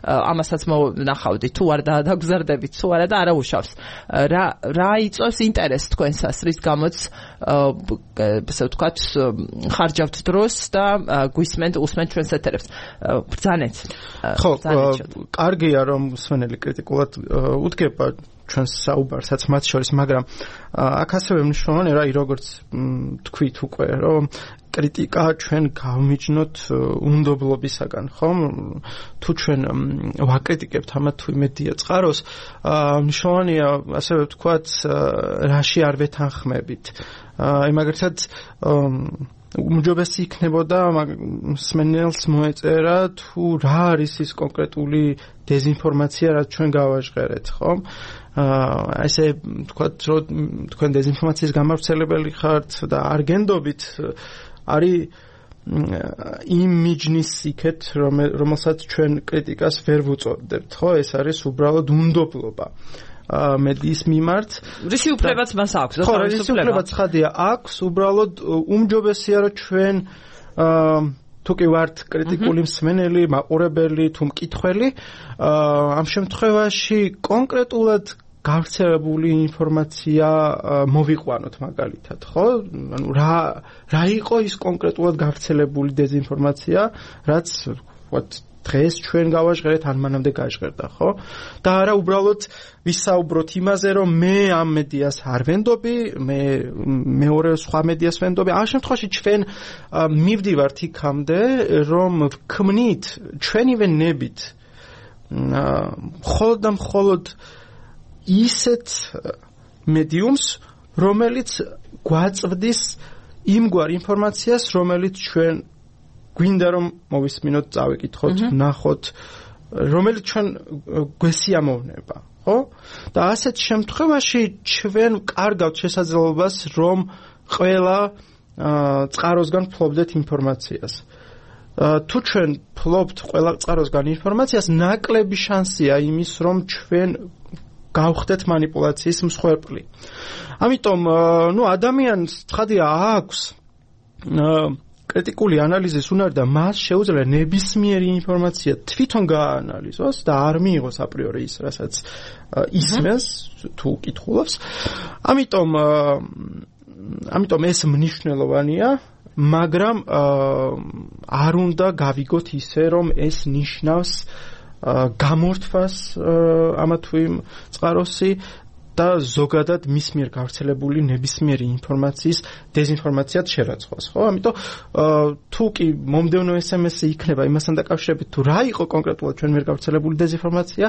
ამასაც მოვნახავდი თუ არ დაგზარდებით თუ არა და არა უშავს რა იწვევს ინტერესს თქვენსას რის გამოც ასე ვთქვათ ხარჯავთ დროს და უსმენთ ჩვენს ეთერებს ბრძანეთ ხო კარგია რომ მსმენელი კრიტიკულად უდგება ჩვენს საუბარსაც მათ შორის მაგრამ აქ ასევე მნიშვნელოვანია რა როგორც თქვით უკვე რომ კრიტიკა ჩვენ გავმიჯნოთ უნდობლობისაგან ხომ თუ ჩვენ ვაკრიტიკებთ ამათ თუ იმედია წყაროს მნიშვნელოვანია ასევე ვთქვათ რაში არ ვეთანხმებით იმაგრეთად უმჯობესი იქნებოდა მსმენელს მოეწერა თუ რა არის ის კონკრეტული დეზინფორმაცია რაც ჩვენ გავაჟღერეთ ხომ ესე ვთქვათ რომ თქვენ დეზინფორმაციის გამავრცელებელი ხართ და არ გენდობით არის იმ მიჯნის იქეთ რომელსაც ჩვენ კრიტიკას ვერ ვუწოდებთ ხო ეს არის უბრალოდ უნდობლობა მედიის მიმართ რისი უფლებაც მას აქვს ხო რისი უფლებაც ხადია აქვს უბრალოდ უმჯობესია რომ ჩვენ თუ კი ვართ კრიტიკული მსმენელი მაყურებელი თუ მკითხველი ამ შემთხვევაში კონკრეტულად გავრცელებული ინფორმაცია მოვიყვანოთ მაგალითად ხო ანუ რა იყო ის კონკრეტულად გავრცელებული დეზინფორმაცია რაც ვთქვათ დღეს ჩვენ გავაჟღერეთ ან მანამდე გაჟღერდა ხო და არა უბრალოდ ვისაუბროთ იმაზე რომ მე ამ მედიას არ ვენდობი მე მეორე სხვა მედიას ვენდობი ამ შემთხვევაში ჩვენ მივდივართ იქამდე რომ ვქმნით ჩვენივე ნებით მხოლოდ და მხოლოდ ისეთ მედიუმს რომელიც გვაწვდის იმგვარ ინფორმაციას რომელიც ჩვენ გვინდა რომ მოვისმინოთ წავიკითხოთ ნახოთ რომელიც ჩვენ გვესიამოვნება ხო და ასეთ შემთხვევაში ჩვენ კარგავთ შესაძლებლობას რომ ყველა წყაროსგან ფლობდეთ ინფორმაციას თუ ჩვენ ფლობთ ყველა წყაროსგან ინფორმაციას ნაკლები შანსია იმის რომ ჩვენ გავხდეთ манипуляციის მსხვერპლი. ამიტომ ნუ ადამიანს ცხადია აქვს კრიტიკული ანალიზის უნარი და მას შეუძლია ნებისმიერი ინფორმაცია თვითონ გააანალიზოს და არ მიიღოს აპრიორი ის, რასაც ისმენს თუ კითხულობს. ამიტომ ეს მნიშვნელოვანია, მაგრამ არ უნდა გავიგოთ ისე, რომ ეს ნიშნავს გამორთვას ამა თუ იმ წყაროსი და ზოგადად მის მიერ გავრცელებული ნებისმიერი ინფორმაციის დეზინფორმაციად შერაცხვას, ხო? ამიტომ თუ კი მომდევნო SMS-ი იქნება იმასთან დაკავშირებით, თუ რა იყო კონკრეტულად ჩვენ მიერ გავრცელებული დეზინფორმაცია,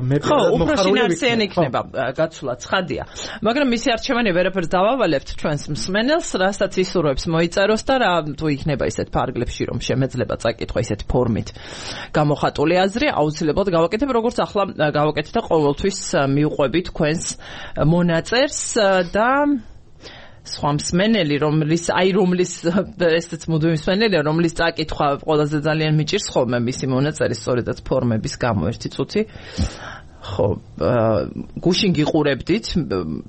მე უბრალოდ იქნება გაცვლა ცხადია. მაგრამ მისი არჩევანი ვერაფერს დავავალებთ ჩვენს მსმენელს, რასაც ისურვებს მოიწეროს და რა თუ იქნება ისეთ ფარგლებში, რომ შემეძლება წაკითხვა ისეთ ფორმით გამოხატული აზრი, აუცილებლად გავაკეთებ, როგორც ახლა გავაკეთე და ყოველთვის მიუყვები თქვენს მონაწერს და სხვა მსმენელი, რომლის ესეც მუდმივი მსმენელია, რომლის წაკითხვა ყველაზე ძალიან მიჭირს ხოლმე მისი მონაწერის სწორედაც ფორმების გამო ერთი წუთი. ხო, გუშინ გიყურებდით,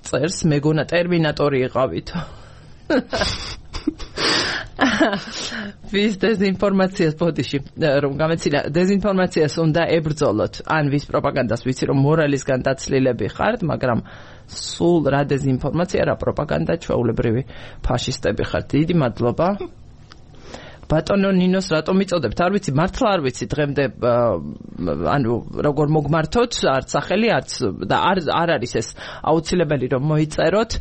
წერს მეგონა ტერმინატორი იყავით. ვის დეზინფორმაციას ბოდიში რომ გამეცინა დეზინფორმაციას უნდა ებრძოლოთ ან ვის პროპაგანდას ვიცი რომ მორალისგან დაცლილები ხართ მაგრამ სულ რა დეზინფორმაცია რა პროპაგანდა ჩვეულებრივი ფაშისტები ხართ დიდი მადლობა ბატონო ნინოს რატომ მიწოდებთ არ ვიცი მართლა არ ვიცი დღემდე ანუ როგორ მოგმართოთ არც სახელი არც და არ არის ეს აუცილებელი რომ მოიწეროთ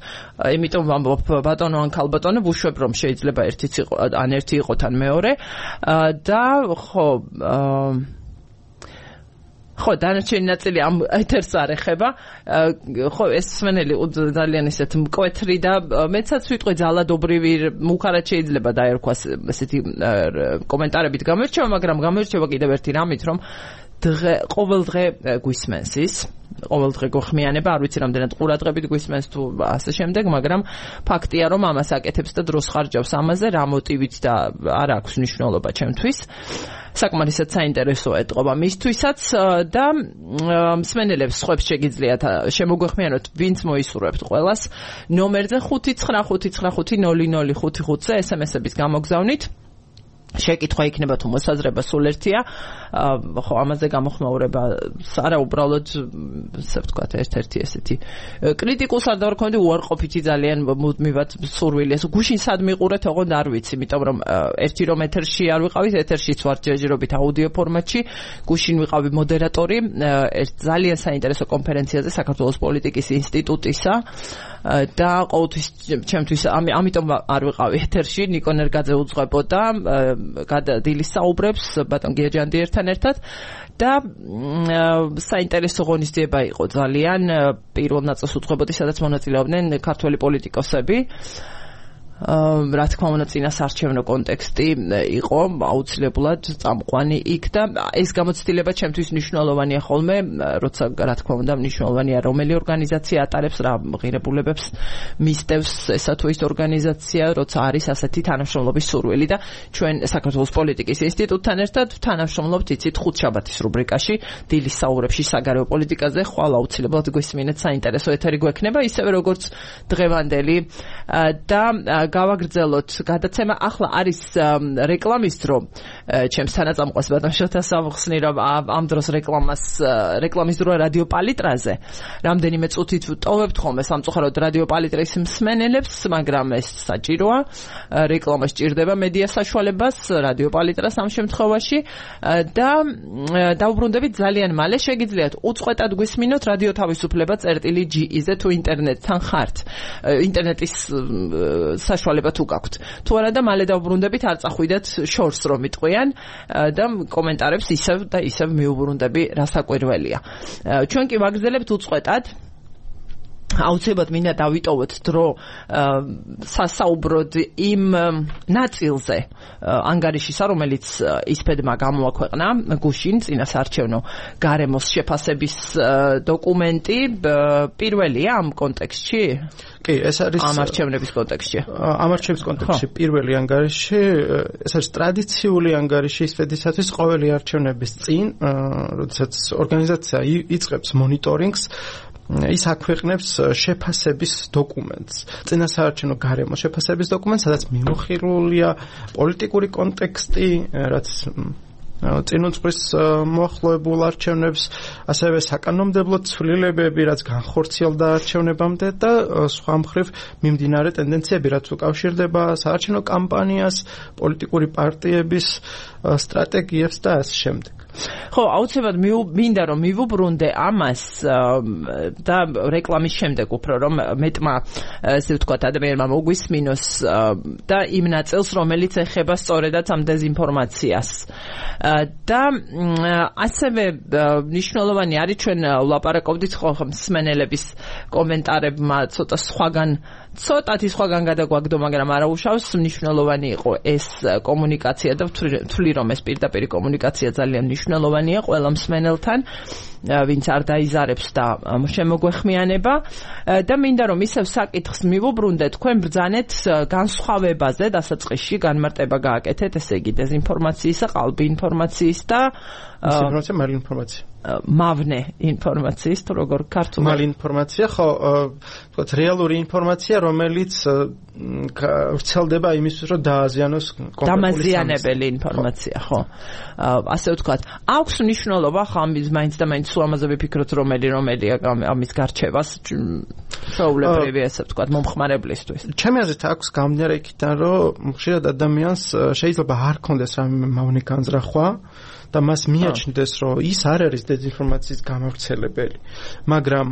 იმიტომ ვამბობ ბატონო ან ქალბატონო ვუშვებ რომ შეიძლება ერთიც იყო ან ერთი იყოთ ან მეორე და ხო დანარჩენი ნაწილი ამ ეთერს არ ეხება ხო ეს მსმენელი ძალიან ისეთ მკვეთრი და მეცაც ვიტყვი ძალადობრივი მუქარად შეიძლება დაერქვას ესეთი კომენტარებით გამოირჩევა მაგრამ გამოირჩევა კიდევ ერთი რამით რომ ყოველ დღე გვისმენს ის ყოველ დღე გხმიანება არ ვიცი რამდენად ყურადღებით გვისმენს თუ ასე შემდეგ მაგრამ ფაქტია რომ ამას აკეთებს და დროს ხარჯავს ამაზე რა მოტივით და არ აქვს მნიშვნელობა ჩემთვის საკმარისად საინტერესოა ეთყობა მისთვისაც და მსმენელებს ხვებს შეგიძლიათ შემოგვეხმიანოთ ვინც მოისურვებთ ყველას ნომერზე 595500555-ზე SMS-ების გამოგზავნით შეკითხვა იქნება თუ მოსაზრება სულ ერთია ხო ამაზე გამოხმაურება არა უბრალოდ ასე ვთქვათ ერთ-ერთი ესეთი კრიტიკულს არ დავარქონდი უარყოფითი ძალიან მუდმივად სურვილი ეს გუშინ სად მიყურეთ ოღონდ არ ვიცი იმიტომ რომ ერთი რომ ეთერში არ ვიყავით ეთერშიც ვარ ჯერჯერობით აუდიო ფორმატში გუშინ ვიყავი მოდერატორი ერთ ძალიან საინტერესო კონფერენციაზე საქართველოს პოლიტიკის ინსტიტუტისა და ყოველთვის ჩემთვის ამიტომ არ ვიყავი ეთერში ნიკო ნერგაძე უძღვებოდა დილის საუბრებს ბატონ გიაჯანდიერთან ერთად და საინტერესო ღონისძიება იყო ძალიან პირველ ნაწილს უძღვებოდი სადაც მონაწილეობდნენ ქართველი პოლიტიკოსები რა თქმა უნდა წინასარჩევნო კონტექსტი იყო აუცილებლად წამყვანი იქ და ეს გამოცდილება ჩემთვის მნიშვნელოვანია ხოლმე როცა რა თქმა უნდა მნიშვნელოვანია რომელი ორგანიზაცია ატარებს რა ღირებულებებს მისდევს ესა თუ ის ორგანიზაცია როცა არის ასეთი თანამშრომლობის სურვილი და ჩვენ საქართველოს პოლიტიკის ინსტიტუტთან ერთად თანამშრომლობთ იცით ხუთშაბათის რუბრიკაში დილის საუბრებში საგარეო პოლიტიკაზე ხვალ აუცილებლად გვესმინეთ საინტერესო ეთერი გვექნება ისევე როგორც დღევანდელი და გავაგრძელოთ გადაცემა ახლა არის რეკლამის დრო ჩემს თანაწამყვას ბატონ შოთას ამხსნი რომ ამ დროს რეკლამის დროა რადიო პალიტრაზე რამდენიმე წუთით ტოვებთ ხოლმე სამწუხაროდ რადიო პალიტრის მსმენელებს მაგრამ ეს საჭიროა რეკლამა სჭირდება მედია საშუალებას რადიო პალიტრას ამ შემთხვევაში და დაუბრუნდებით ძალიან მალე შეგიძლიათ უწყვეტად გვისმინოთ რადიო თავისუფლება წერტილი.ge-ზე თუ ინტერნეტთან ხართ ინტერნეტის საშუალება თუ გაქვთ. თუ არა და მალე დავუბრუნდებით არ წახვიდეთ შორს რომ იტყვიან და კომენტარებს ისევ და ისევ მიუბრუნდები რასაკვირველია. ჩვენ კი ვაგრძელებთ უწყვეტად აუცილებლად მინდა დავიტოვოთ დრო სასაუბროდ იმ ნაწილზე ანგარიშისა რომელიც ისფედმა გამოაქვეყნა გუშინ წინასარჩევნო გარემოს შეფასების დოკუმენტი პირველია ამ კონტექსტში კი ეს არის ამ არჩევნების კონტექსტში ამ არჩევნების კონტექსტში პირველი ანგარიში ეს არის ტრადიციული ანგარიში ისფედისათვის ყოველი არჩევნების წინ როდესაც ორგანიზაცია იწყებს მონიტორინგს ის აქვეყნებს შეფასების დოკუმენტს. წინასაარჩევნო გარემოს შეფასების დოკუმენტს, სადაც მიმოხილულია პოლიტიკური კონტექსტი, რაც წინუძღვის მოახლოებულ არჩევნებს, ასევე საკანონმდებლო ცვლილებები, რაც განხორციელდა არჩევნებამდე და სხვა მხრივ მიმდინარე ტენდენციები, რაც უკავშირდება საარჩევნო კამპანიას, პოლიტიკური პარტიების სტრატეგიებს და ასე შემდეგ. ხო, აუცილებლად მინდა რომ მივუბრუნდე ამას და რეკლამის შემდეგ უფრო რომ მეტმა ესე ვთქვათ ადამიანმა მოგვისმინოს და იმ ნაწილს რომელიც ეხება სწორედაც ამ დეზინფორმაციას. და ასევე მნიშვნელოვანი არის ჩვენ ვლაპარაკობდით ხო მსმენელების კომენტარებმა ცოტათი სხვაგან გადაგვაგდო, მაგრამ არა უშავს მნიშვნელოვანი იყო ეს კომუნიკაცია და ვთვლი რომ ეს პირდაპირ კომუნიკაცია ძალიან მნიშვნელოვანია ყველა მსმენელთან, ვინც არ დაიზარებს და შემოგვეხმიანება და მინდა რომ ისევ საკითხს მივუბრუნდეთ, თქვენ ბრძანეთ განსხვავებაზე დასაწყისში განმარტება გააკეთეთ, ესე იგი დეზინფორმაციისა, ყალბი ინფორმაციის და ინფორმაცია, მალ ინფორმაცია. მავნე ინფორმაციის, თუ როგორ ქართულად. მალ ინფორმაცია, ხო, ვთქვათ, რეალური ინფორმაცია, რომელიც ვრცელდება იმისთვის, რომ დააზიანოს კონკრეტული დამაზიანებელი ინფორმაცია, ხო. ასე ვთქვათ, აქვს მნიშვნელობა, ხო, მაინც და მაინც სულ ამაზე ვიფიქროთ, რომელია ამის გარჩევას, ჩვეულებრივი, ასე ვთქვათ, მომხმარებლისთვის. ჩემი აზრით აქვს გამდინარე იქიდან, რომ ხშირად ადამიანს შეიძლება არ ქონდეს რამე მავნე განზრახვა და მას მიაჩნდეს, რომ ის არ არის დეზინფორმაციის გამავრცელებელი. მაგრამ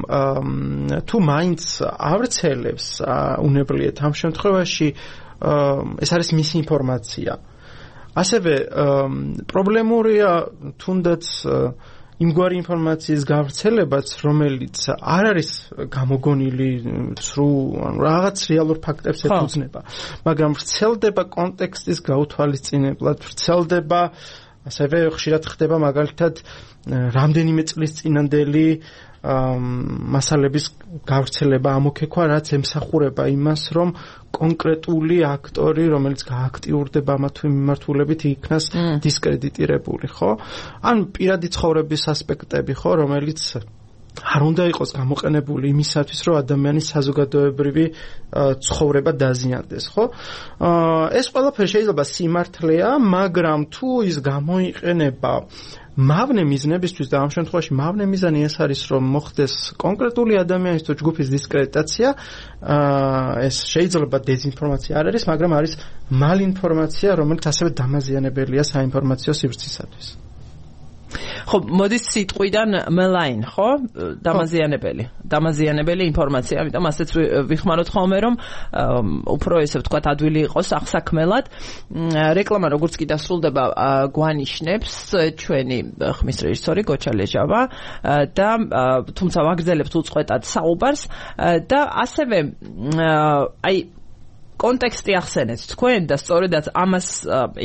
თუ მაინც ავრცელებს უნებლიეთ ამ შემთხვევაში ეს არის მისი ინფორმაცია. ასევე პრობლემურია თუნდაც იმგვარი ინფორმაციის გავრცელებაც, რომელიც არ არის გამოგონილი სრულ რაღაც რეალურ ფაქტებს ეფუძნება, მაგრამ ვრცელდება კონტექსტის გაუთვალისწინებლად, ვრცელდება ასევე ხშირად ხდება მაგალითად რამდენიმე წლის წინანდელი მასალების გავრცელება ამოქეკვა, რაც ემსახურება იმას, რომ კონკრეტული აქტორი, რომელიც გააქტიურდება ამა თუ იმ მიმართულებით, იქნას დისკრედიტირებული, ხო? ან პირადი ცხოვრების ასპექტები, ხო, რომელიც არ უნდა იყოს გამოყენებული იმისათვის, რომ ადამიანის საზოგადოებრივი ცხოვრება დაზიანდეს, ხო? ეს ყველაფერი შეიძლება სიმართლეა, მაგრამ თუ ის გამოიყენება მავნე მიზნებისთვის და ამ შემთხვევაში მავნე მიზანი ეს არის, რომ მოხდეს კონკრეტული ადამიანის თუ ჯგუფის დისკრედიტაცია, ეს შეიძლება დეზინფორმაცია არ არის, მაგრამ არის მალინფორმაცია, რომელიც ასევე დამაზიანებელია საინფორმაციო სივრცისათვის. ხო, მოდის სიტყვიდან malign, ხო? დამაზიანებელი ინფორმაცია, ამიტომ ასეც ვიხმაროთ ხოლმე, რომ უფრო ესე ვთქვათ, ადვილი იყოს აღსაქმელად. რეკლამა როგორც კი დასრულდება, გვანიშნებს ჩვენი ხმის რეჟისორი გოჩა ლეჟავა და თუმცა ვაგრძელებთ უწყვეტად საუბარს და ასევე აი კონტექსტი ახსენეთ თქვენ და სწორედაც ამას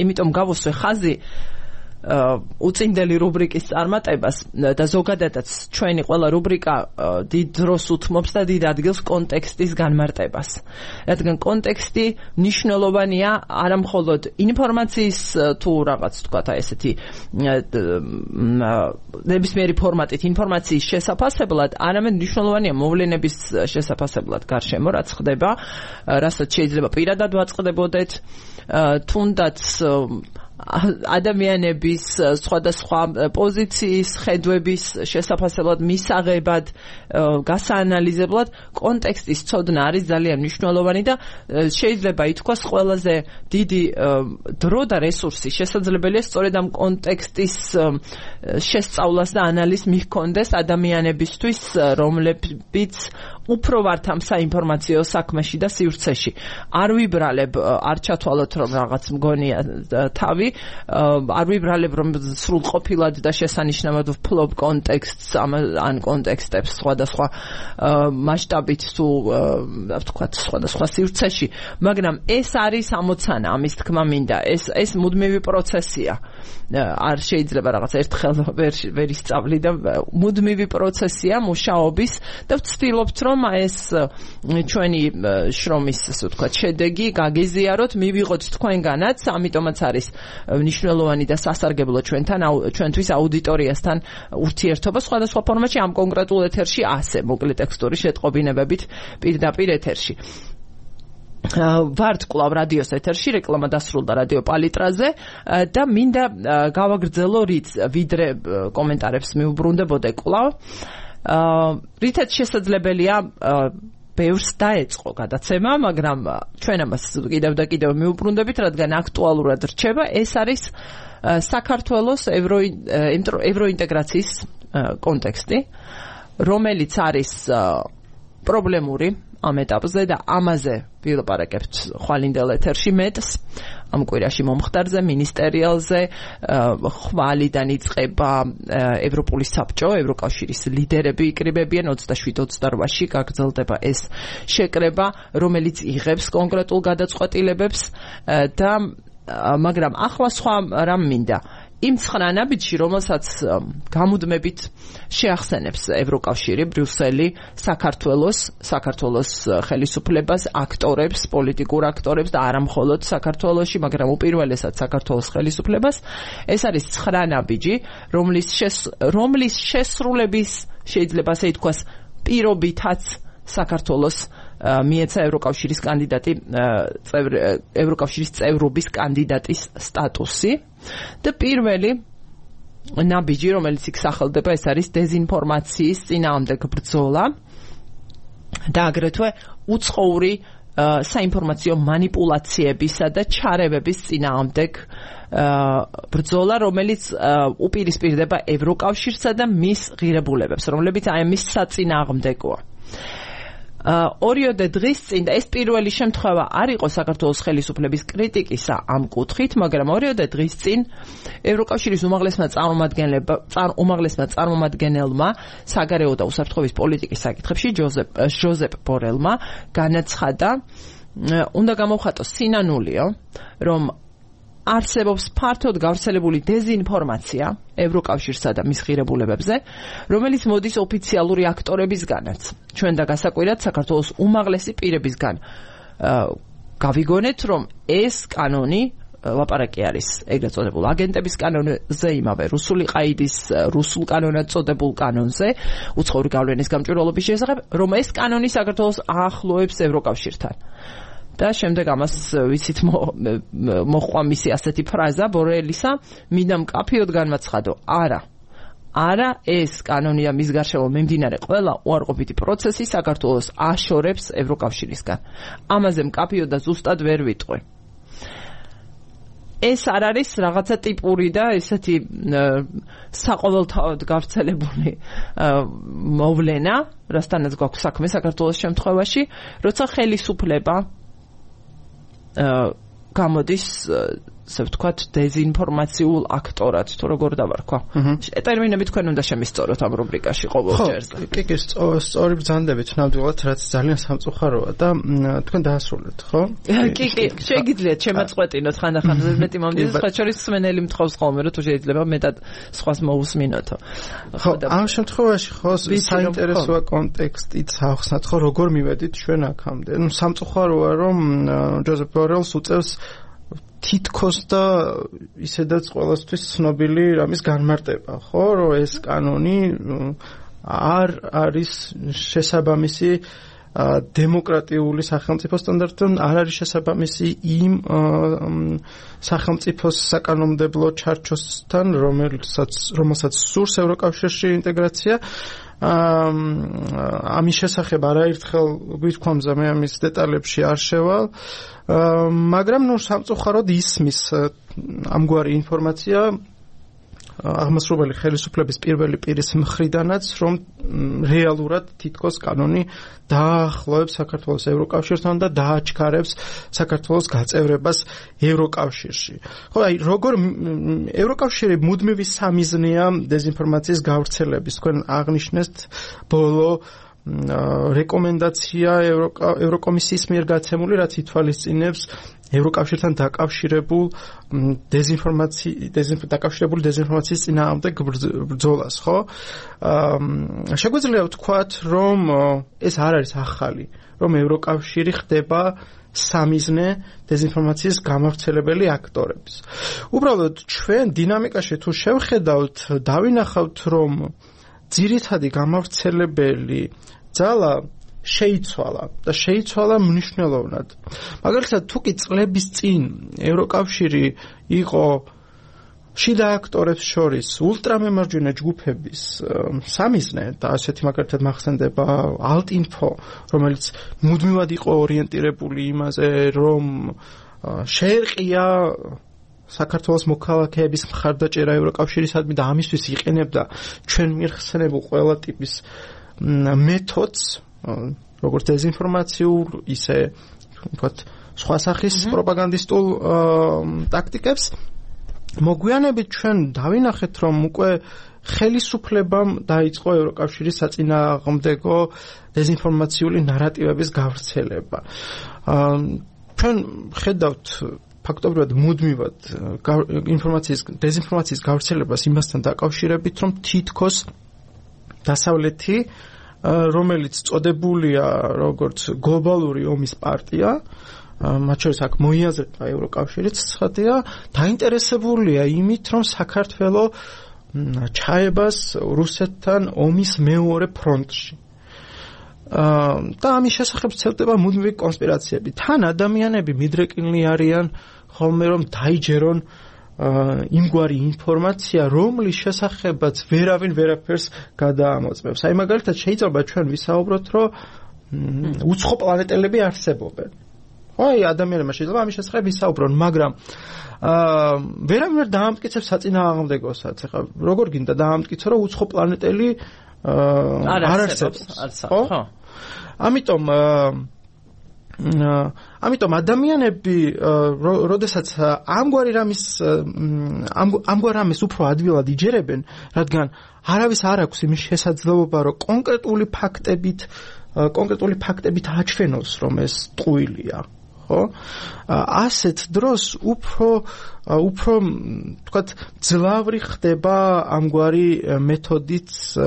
იმიტომ გავუსვე ხაზი უწინდელი რუბრიკის წარმატებას და ზოგადადაც ჩვენი ყველა რუბრიკა დიდ დროს უთმობს და დიდ ადგილს კონტექსტის განმარტებას. რადგან კონტექსტი მნიშვნელოვანია არა მხოლოდ ინფორმაციის თუ რაღაც თქვათ ესეთი ნებისმიერი ფორმატით ინფორმაციის შესაფასებლად, არამედ მნიშვნელოვანია მოვლენების შესაფასებლად გარშემო, რაც ხდება, რასაც შეიძლება პირადად ვაწყდებოდეთ, თუნდაც ადამიანების სხვადასხვა პოზიციის, ხედვების შესაფასებლად, მისაღებად, გასაანალიზებლად კონტექსტის ცოდნა არის ძალიან მნიშვნელოვანი და შეიძლება ითქვას ყველაზე დიდი დრო და რესურსი შესაძლებელია სწორედ ამ კონტექსტის შესწავლას და ანალიზს მიჰქონდეს ადამიანებისთვის, რომლებიც უფრო ვართ ამ საინფორმაციო საქმეში და სივრცეში. არ ვიბრალებ, არ ჩათვალოთ რომ რაღაც მგონია თავი, არ ვიბრალებ რომ სრულყოფილად და შესანიშნავად ვფლობ კონტექსტს ან კონტექსტებს სხვადასხვა მასშტაბით თუ ვთქვათ სხვადასხვა სივრცეში, მაგრამ ეს არის ამოცანა, ამის თქმა მინდა, ეს მუდმივი პროცესია. არ შეიძლება რაღაც ერთხელ ვერ ისწავლი და მუდმივი პროცესია მუშაობის და ვცდილობთ რომ ეს ჩვენი შრომის ასე ვთქვათ შედეგი გაგიზიაროთ, მივიღოთ თქვენგანაც, ამიტომაც არის მნიშვნელოვანი და სასარგებლო ჩვენთვის აუდიტორიასთან ურთიერთობა სხვადასხვა ფორმატში, ამ კონკრეტულ ეთერში ასე მოკლე ტექსტური შეტყობინებებით პირდაპირ ეთერში. ვართ კვლავ რადიოს ეთერში, რეკლამა დასრულდა რადიო პალიტრაზე და მინდა გავაგრძელო ვიდრე კომენტარებს მიუბრუნდებოდე კვლავ. რითაც შესაძლებელია ბევრს დაეწყო გადაცემა, მაგრამ ჩვენ ამას კიდევ და კიდევ მიუბრუნდებით, რადგან აქტუალურად რჩება. ეს არის საქართველოს ევროინტეგრაციის კონტექსტი, რომელიც არის პრობლემური ამ ეტაპზე და ამაზე ვილაპარაკებთ ხვალინდელ ეთერში მეტს ამ კვირაში მომხდარზე მინისტერიალზე ხვალიდან იწყება ევროპული საბჭო ევროკავშირის ლიდერები იკრიბებიან 27-28-ში გაგრძელდება ეს შეკრება რომელიც იღებს კონკრეტულ გადაწყვეტილებებს და მაგრამ ახლა სხვა რამ მინდა იმ 9 ნაბიჯში, რომელსაც გამუდმებით შეახსენებს ევროკავშირი, ბრიუსელი, საქართველოს ხელისუფლებას, აქტორებს, პოლიტიკურ აქტორებს და არა მხოლოდ საქართველოში, მაგრამ უპირველესად საქართველოს ხელისუფლებას, ეს არის 9 ნაბიჯი, რომლის შესრულების შეიძლება ასე ითქვას, პირობითაც საქართველოს მიეცა ევროკავშირის კანდიდატი ევროკავშირის წევრობის კანდიდატის სტატუსი და პირველი ნაბიჯი რომელიც იქ სახელდება ეს არის დეზინფორმაციის წინააღმდეგ ბრძოლა და აგრეთვე უცხოური საინფორმაციო მანიპულაციებისა და ჩარევების წინააღმდეგ ბრძოლა რომელიც უპირისპირდება ევროკავშირსა და მის ღირებულებებს რომლებიც აი მის საწინააღმდეგოა ორიოდე დღის წინ და ეს პირველი შემთხვევა არ იყო საქართველოს ხელისუფლების კრიტიკისა ამ კუთხით, მაგრამ ორიოდე დღის წინ ევროკავშირის უმაღლესმა წარმომადგენელმა საგარეო და უსაფრთხოების პოლიტიკის საკითხებში ჟოზეპ ბორელმა განაცხადა, უნდა გამოვხატოს სინანულიო, რომ არსებობს ფართოდ გავრცელებული დეზინფორმაცია ევროკავშირსა და მის ღირებულებებზე, რომელიც მოდის ოფიციალური აქტორებისგანაც. ჩვენ და გასაკვირად საქართველოს უმაღლესი პირებისგან გავიგონეთ, რომ ეს კანონი ლაპარაკი არის ეგრეთ წოდებულ აგენტების კანონზე, იმავე რუსული ყაიდის რუსულ კანონად წოდებულ კანონზე, უცხოური გავლენის გამჭვირვალობის შესახებ, რომ ეს კანონი საქართველოს აახლოებს ევროკავშირთან. და შემდეგ ამას ვიცით მოყვა მისი ასეთი ფრაზა ბორელისა მინდა მკაფიოდ განმაცხადო არა ეს კანონი და მის გარშემო მიმდინარე ყველა უარყოფითი პროცესი საქართველოს აშორებს ევროკავშირისგან ამაზე მკაფიოდ და ზუსტად ვერ ვიტყვი ეს არ არის რაღაცა ტიპური და ესეთი საყოველთაოდ გავრცელებული მოვლენა რასთანაც გვაქვს საქმე საქართველოს შემთხვევაში როცა ხელისუფლება გამოდის ასე ვთქვათ დეზინფორმაციულ აქტორად თუ როგორ დავარქვა. ტერმინები თქვენ უნდა შემისწოროთ ამ რუბრიკაში ყოველ ჯერზე. კი, სწორი ბრძანდებით ნამდვილად რაც ძალიან სამწუხაროა და თქვენ დაასრულეთ, ხო? კი, შეგიძლიათ შემაწყვეტინოთ ხანდახან მეტი მომდის, სხვა შორის სმენელი მთხოვს ხოლმე რომ თუ შეიძლება მეტად სხვას მოусმინოთო. ხო, ამ შემთხვევაში ხო საინტერესოა კონტექსტიც ახსნათ, ხო როგორ მივედით ჩვენ აქამდე. ნუ სამწუხაროა რომ ჟოზეპ ბორელს უწევს თითქოს და ისედაც ყველასთვის ცნობილი რამის განმარტება, ხო, რომ ეს კანონი არ არის შესაბამისი დემოკრატიული სახელმწიფო სტანდარტთან, არ არის შესაბამისი იმ სახელმწიფოს საკანონმდებლო ჩარჩოსთან, რომელსაც სურს ევროკავშირში ინტეგრაცია. ამის შესახებ არაერთხელ გვითქვამზე მე ამის დეტალებში არ შევალ, მაგრამ ნუ სამწუხაროდ ისმის ამგვარი ინფორმაცია აღმასრულებელი ხელისუფლების პირველი პირის მხრიდანაც, რომ რეალურად თითქოს კანონი დაახლოებს საქართველოს ევროკავშირთან და დააჩქარებს საქართველოს გაწევრებას ევროკავშირში. ხო, აი როგორ ევროკავშირი მუდმივი სამიზნეა დეზინფორმაციის გავრცელების. თქვენ აღნიშნეთ ბოლო რეკომენდაცია ევროკომისიის მიერ გაცემული, რაც ითვალისწინებს ევროკავშირთან დაკავშირებულ დეზინფორმაციის წინააღმდეგ ბრძოლას, ხო? შეგვიძლია ვთქვათ, რომ ეს არ არის ახალი, რომ ევროკავშირი ხდება სამიზნე დეზინფორმაციის გამავრცელებელი აქტორების. უბრალოდ ჩვენ დინამიკაში თუ შევხედავთ, დავინახავთ, რომ ძირითადი გამავრცელებელი ძალა შეიცვალა მნიშვნელოვნად. მაგალითად, თუ კი წლების წინ ევროკავშირი იყო შიდა აქტორებს შორის ულტრამემარჯვენე ჯგუფების სამიზნე და ასეთი მაგალითად მახსენდება ალტინფო, რომელიც მუდმივად იყო ორიენტირებული იმაზე, რომ შეერყია საქართველოს მოქალაქეების მხარდაჭერა ევროკავშირისადმი და ამისთვის იყენებდა ჩვენ მიხსენებულ ყველა ტიპის მეთოდს, როგორც დეზინფორმაციულ, ისე ვთქვათ, სხვა სახის პროპაგანდისტულ ტაქტიკებს. მოგვიანებით ჩვენ დავინახეთ, რომ უკვე ხელისუფლებამ დაიწყო ევროკავშირის საწინააღმდეგო დეზინფორმაციული ნარატივების გავრცელება. ჩვენ ხედავთ ფაქტობრივად მუდმივად დეზინფორმაციის გავრცელებას იმასთან დაკავშირებით, რომ თითქოს დასავლეთი, რომელიც წოდებულია როგორც გლობალური ომის პარტია, მათ შორის აქ მოიაზრება ევროკავშირიც ცხადია, დაინტერესებულია იმით, რომ საქართველო ჩაებას რუსეთთან ომის მეორე ფრონტში. და ამის შესახებ ვრცელდება მუდმივი კონსპირაციები. თან ადამიანები მიდრეკილნი არიან ხოლმე რომ დაიჯერონ იმგვარი ინფორმაცია, რომლის შესახებაც ვერავინ ვერაფერს გადაამოწმებს. აი მაგალითად შეიძლება ჩვენ ვისაუბროთ, რომ უცხო პლანეტელები არსებობენ. აი ადამიანებმა შეიძლება ამის შესახებ ვისაუბრონ, მაგრამ ვერავინ ვერ დაამტკიცებს საწინააღმდეგოსაც. ეხლა როგორ გინდა დაამტკიცო, რომ უცხო პლანეტელი არ არსებობს. ხო? ამიტომ ადამიანები, როდესაც ამგვარ რამის უფრო ადვილად იჯერებენ, რადგან არავის არ აქვს იმის შესაძლებლობა, რომ კონკრეტული ფაქტებით აჩვენოს, რომ ეს ტყუილია. ხო? ასეთ დროს უფრო თქვათ ძლავრი ხდება ამგვარი მეთოდით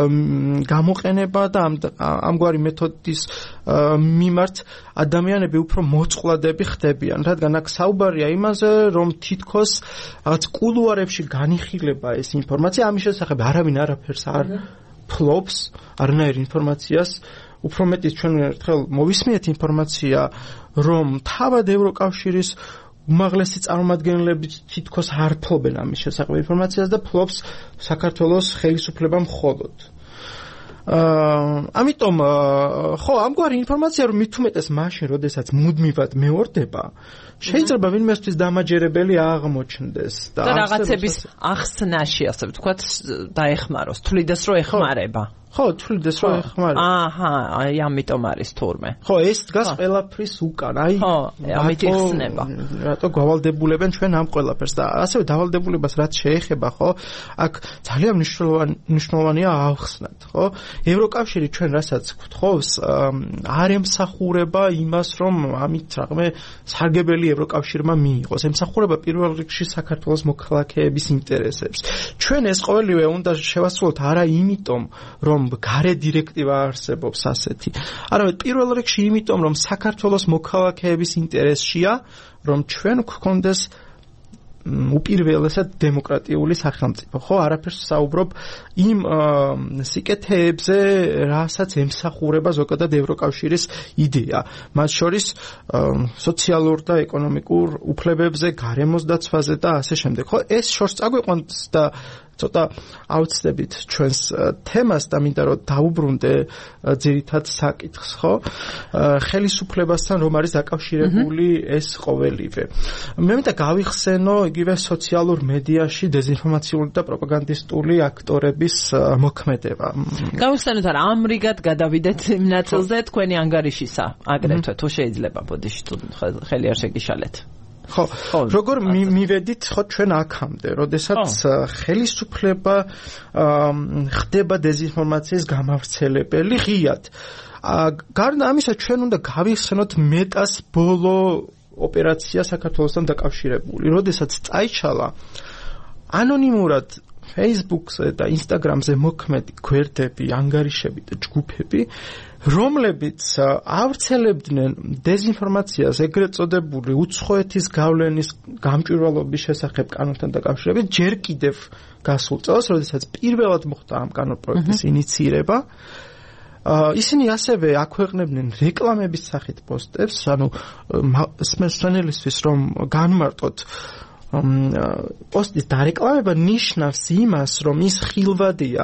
გამოყენება და ამგვარი მეთოდის მიმართ ადამიანები უფრო მოწყვლადები ხდებიან, რადგან აქ საუბარია იმაზე, რომ თითქოს რაღაც კულუარებში განიხილება ეს ინფორმაცია, ამის შესახებ არავინ არაფერს არ ფლობს, არანაირ ინფორმაციას. უფრო მეტიც ჩვენ ერთხელ მოვისმენთ ინფორმაცია, რომ თავად ევროკავშირის უმაღლესი წარმომადგენლები თითქოს არ ფლობენ ამის შესახებ ინფორმაციას და ფლობს საქართველოს ხელისუფლება მხოლოდ. ამიტომ ხო, ამგვარი ინფორმაცია რომ მით უმეტეს მაშინ, როდესაც მუდმივად მეორდება, შეიძლება ვინმესთვის დამაჯერებელი აღმოჩნდეს და რაღაცების ახსნაში, ასე ვთქვათ, დაეხმაროს, თვლიდეს რომ ეხმარება. ხო, თვლიდეს რომ ეხმარება. აჰა, აი ამიტომ არის თურმე. ხო, ეს დგას ყველაფრის უკან. აი, ამით იხსნება. რატო გავალდებულებენ ჩვენ ამ ყველაფერს და ასევე დავალდებულებას რაც შეეხება, ხო? აქ ძალიან მნიშვნელოვანია ავხსნათ, ხო? ევროკავშირი ჩვენ რასაც გვთხოვს, არ ემსახურება იმას, რომ ამით რაღაცა სარგებელი ევროკავშირმა მიიღოს. ემსახურება პირველ რიგში საქართველოს მოქალაქეების ინტერესებს. ჩვენ ეს ყოველივე უნდა შევასრულოთ არა იმიტომ, რომ გარე დირექტივა არსებობს ასეთი. არამედ პირველ რიგში იმიტომ, რომ საქართველოს მოქალაქეების ინტერესშია, რომ ჩვენ გვქონდეს უპირველესად დემოკრატიული სახელმწიფო. ხო, არაფერს საუბრობ იმ სიკეთეებზე, რასაც ემსახურება ზოგადად ევროკავშირის იდეა. მათ შორის სოციალურ და ეკონომიკურ უფლებებზე, გარემოს დაცვაზე და ასე შემდეგ. ხო, ეს შორს წაგვიყვანს და ცოტა ავწდებით ჩვენს თემას და მინდა რომ დაუბრუნდე ძირითად საკითხს, ხო? ხელისუფლებასთან რომ არის დაკავშირებული ეს ყოველივე. მე მინდა გავიხსენო იგივე სოციალურ მედიაში დეზინფორმაციული და პროპაგანდისტული აქტორების მოქმედება. გავიხსენოთ არა, ამრიგად გადავიდეთ იმ ნაწილზე თქვენი ანგარიშისა, აგრეთვე თუ შეიძლება, ბოდიში თუ ხელი არ შეგიშალეთ. ხო, როგორ მივედით ხო ჩვენ აქამდე, როდესაც ხელისუფლება ხდება დეზინფორმაციის გამავრცელებელი ღიად. გარდა ამისა, ჩვენ უნდა გავიხსენოთ მეტას ბოლო ოპერაცია საქართველოსთან დაკავშირებული, როდესაც წაიჩალა ანონიმურად Facebook-ზე და Instagram-ზე მოქმედი გვერდები, ანგარიშები და ჯგუფები, რომლებიც ავრცელებდნენ დეზინფორმაციას ეგრეთ წოდებული უცხოეთის გავლენის გამჭვირვალობის შესახებ კანონთან დაკავშირებით, ჯერ კიდევ გასულ წელს, როდესაც პირველად მოხდა ამ კანონპროექტის ინიციირება. ისინი ასევე აქვეყნებდნენ რეკლამების სახით პოსტებს, ანუ მსმენელისთვის რომ განმარტოთ პოსტის დარეკლამება ნიშნავს იმას, რომ ის ხილვადია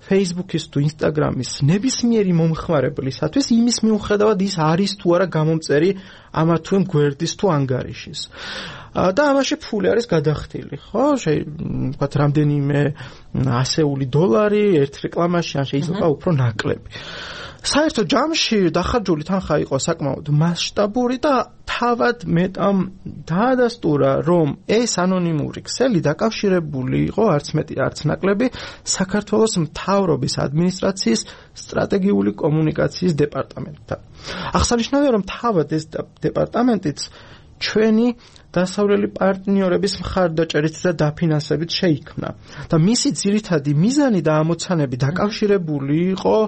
Facebook-ის თუ Instagram-ის ნებისმიერი მომხმარებლისათვის იმის მიუხედავად ის არის თუ არა გამომწერი ამა თუ იმ გვერდის თუ ანგარიშის. და ამაში ფული არის გადახდილი, ხო? ვთქვათ, რამდენიმე ასეული $, ერთ რეკლამაში, ან შეიძლება უფრო ნაკლები. საერთო ჯამში დახარჯული თანხა იყო საკმაოდ მასშტაბური და თავად მეტამ დაადასტურა, რომ ეს ანონიმური ქსელი დაკავშირებული იყო არც მეტი არც ნაკლები საქართველოს მთავრობის ადმინისტრაციის სტრატეგიული კომუნიკაციის დეპარტამენტთან. აღსანიშნავია, რომ თავად ეს დეპარტამენტიც ჩვენი დასავლელი პარტნიორების მხარდაჭერით და დაფინანსებით შეიქმნა და მისი ძირითადი მიზანი და ამოცანები დაკავშირებული იყო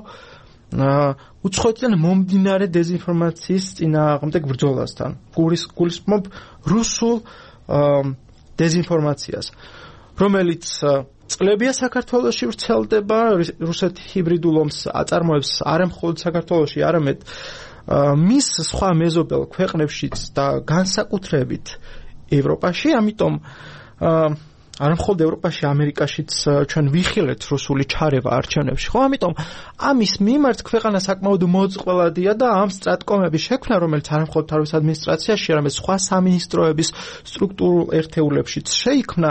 უცხოეთიდან მომდინარე დეზინფორმაციის წინააღმდეგ ბრძოლასთან. გულისხმობ რუსულ დეზინფორმაციას, რომელიც წლებია საქართველოში ვრცელდება, რუსეთი ჰიბრიდულ ომს აწარმოებს არა მხოლოდ საქართველოში, არამედ მის სხვა მეზობელ ქვეყნებშიც და განსაკუთრებით ევროპაში, ამიტომ არა მხოლოდ ევროპაში, ამერიკაშიც ჩვენ ვიხილეთ რუსული ჩარევა არჩევნებში, ხო? ამიტომ ამის მიმართ ქვეყანა საკმაოდ მოწყვლადია და ამ სტრატკომების შექმნა, რომელიც არა მხოლოდ თავის ადმინისტრაციაში, არამედ სხვა სამინისტროების სტრუქტურულ ერთეულებშიც შეიქმნა,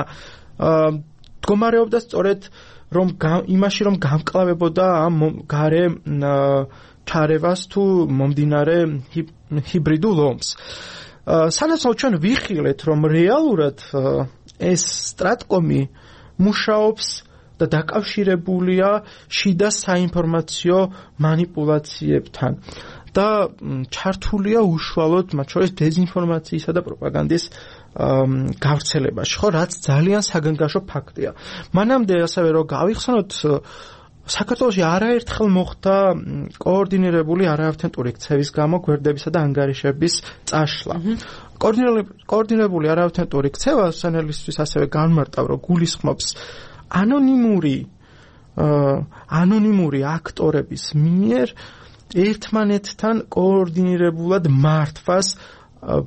მდგომარეობდა სწორედ იმაში, რომ გამკლავებოდა ამ გარე ჩარევას თუ მომდინარე ჰიბრიდულ ომს. სანაცვლოდ ჩვენ ვიხილეთ, რომ რეალურად ეს სტრატკომი მუშაობს და დაკავშირებულია შიდა საინფორმაციო манипуляციებთან და ჩართულია უშუალოდ მათ შორის დეზინფორმაციისა და პროპაგანდის გავრცელებაში, ხო, რაც ძალიან საგანგაშო ფაქტია. მანამდე ასევე რომ გავიხსენოთ, საქართველოში არაერთხელ მოხდა კოორდინირებული არაავთენტური ქცევის გამო გვერდებისა და ანგარიშების წაშლა. კოორდინირებული არაავთენტური ქცევა სანელისთვის ასევე განმარტავ, რომ გულისხმობს ანონიმური აქტორების მიერ ერთმანეთთან კოორდინირებულად მართვას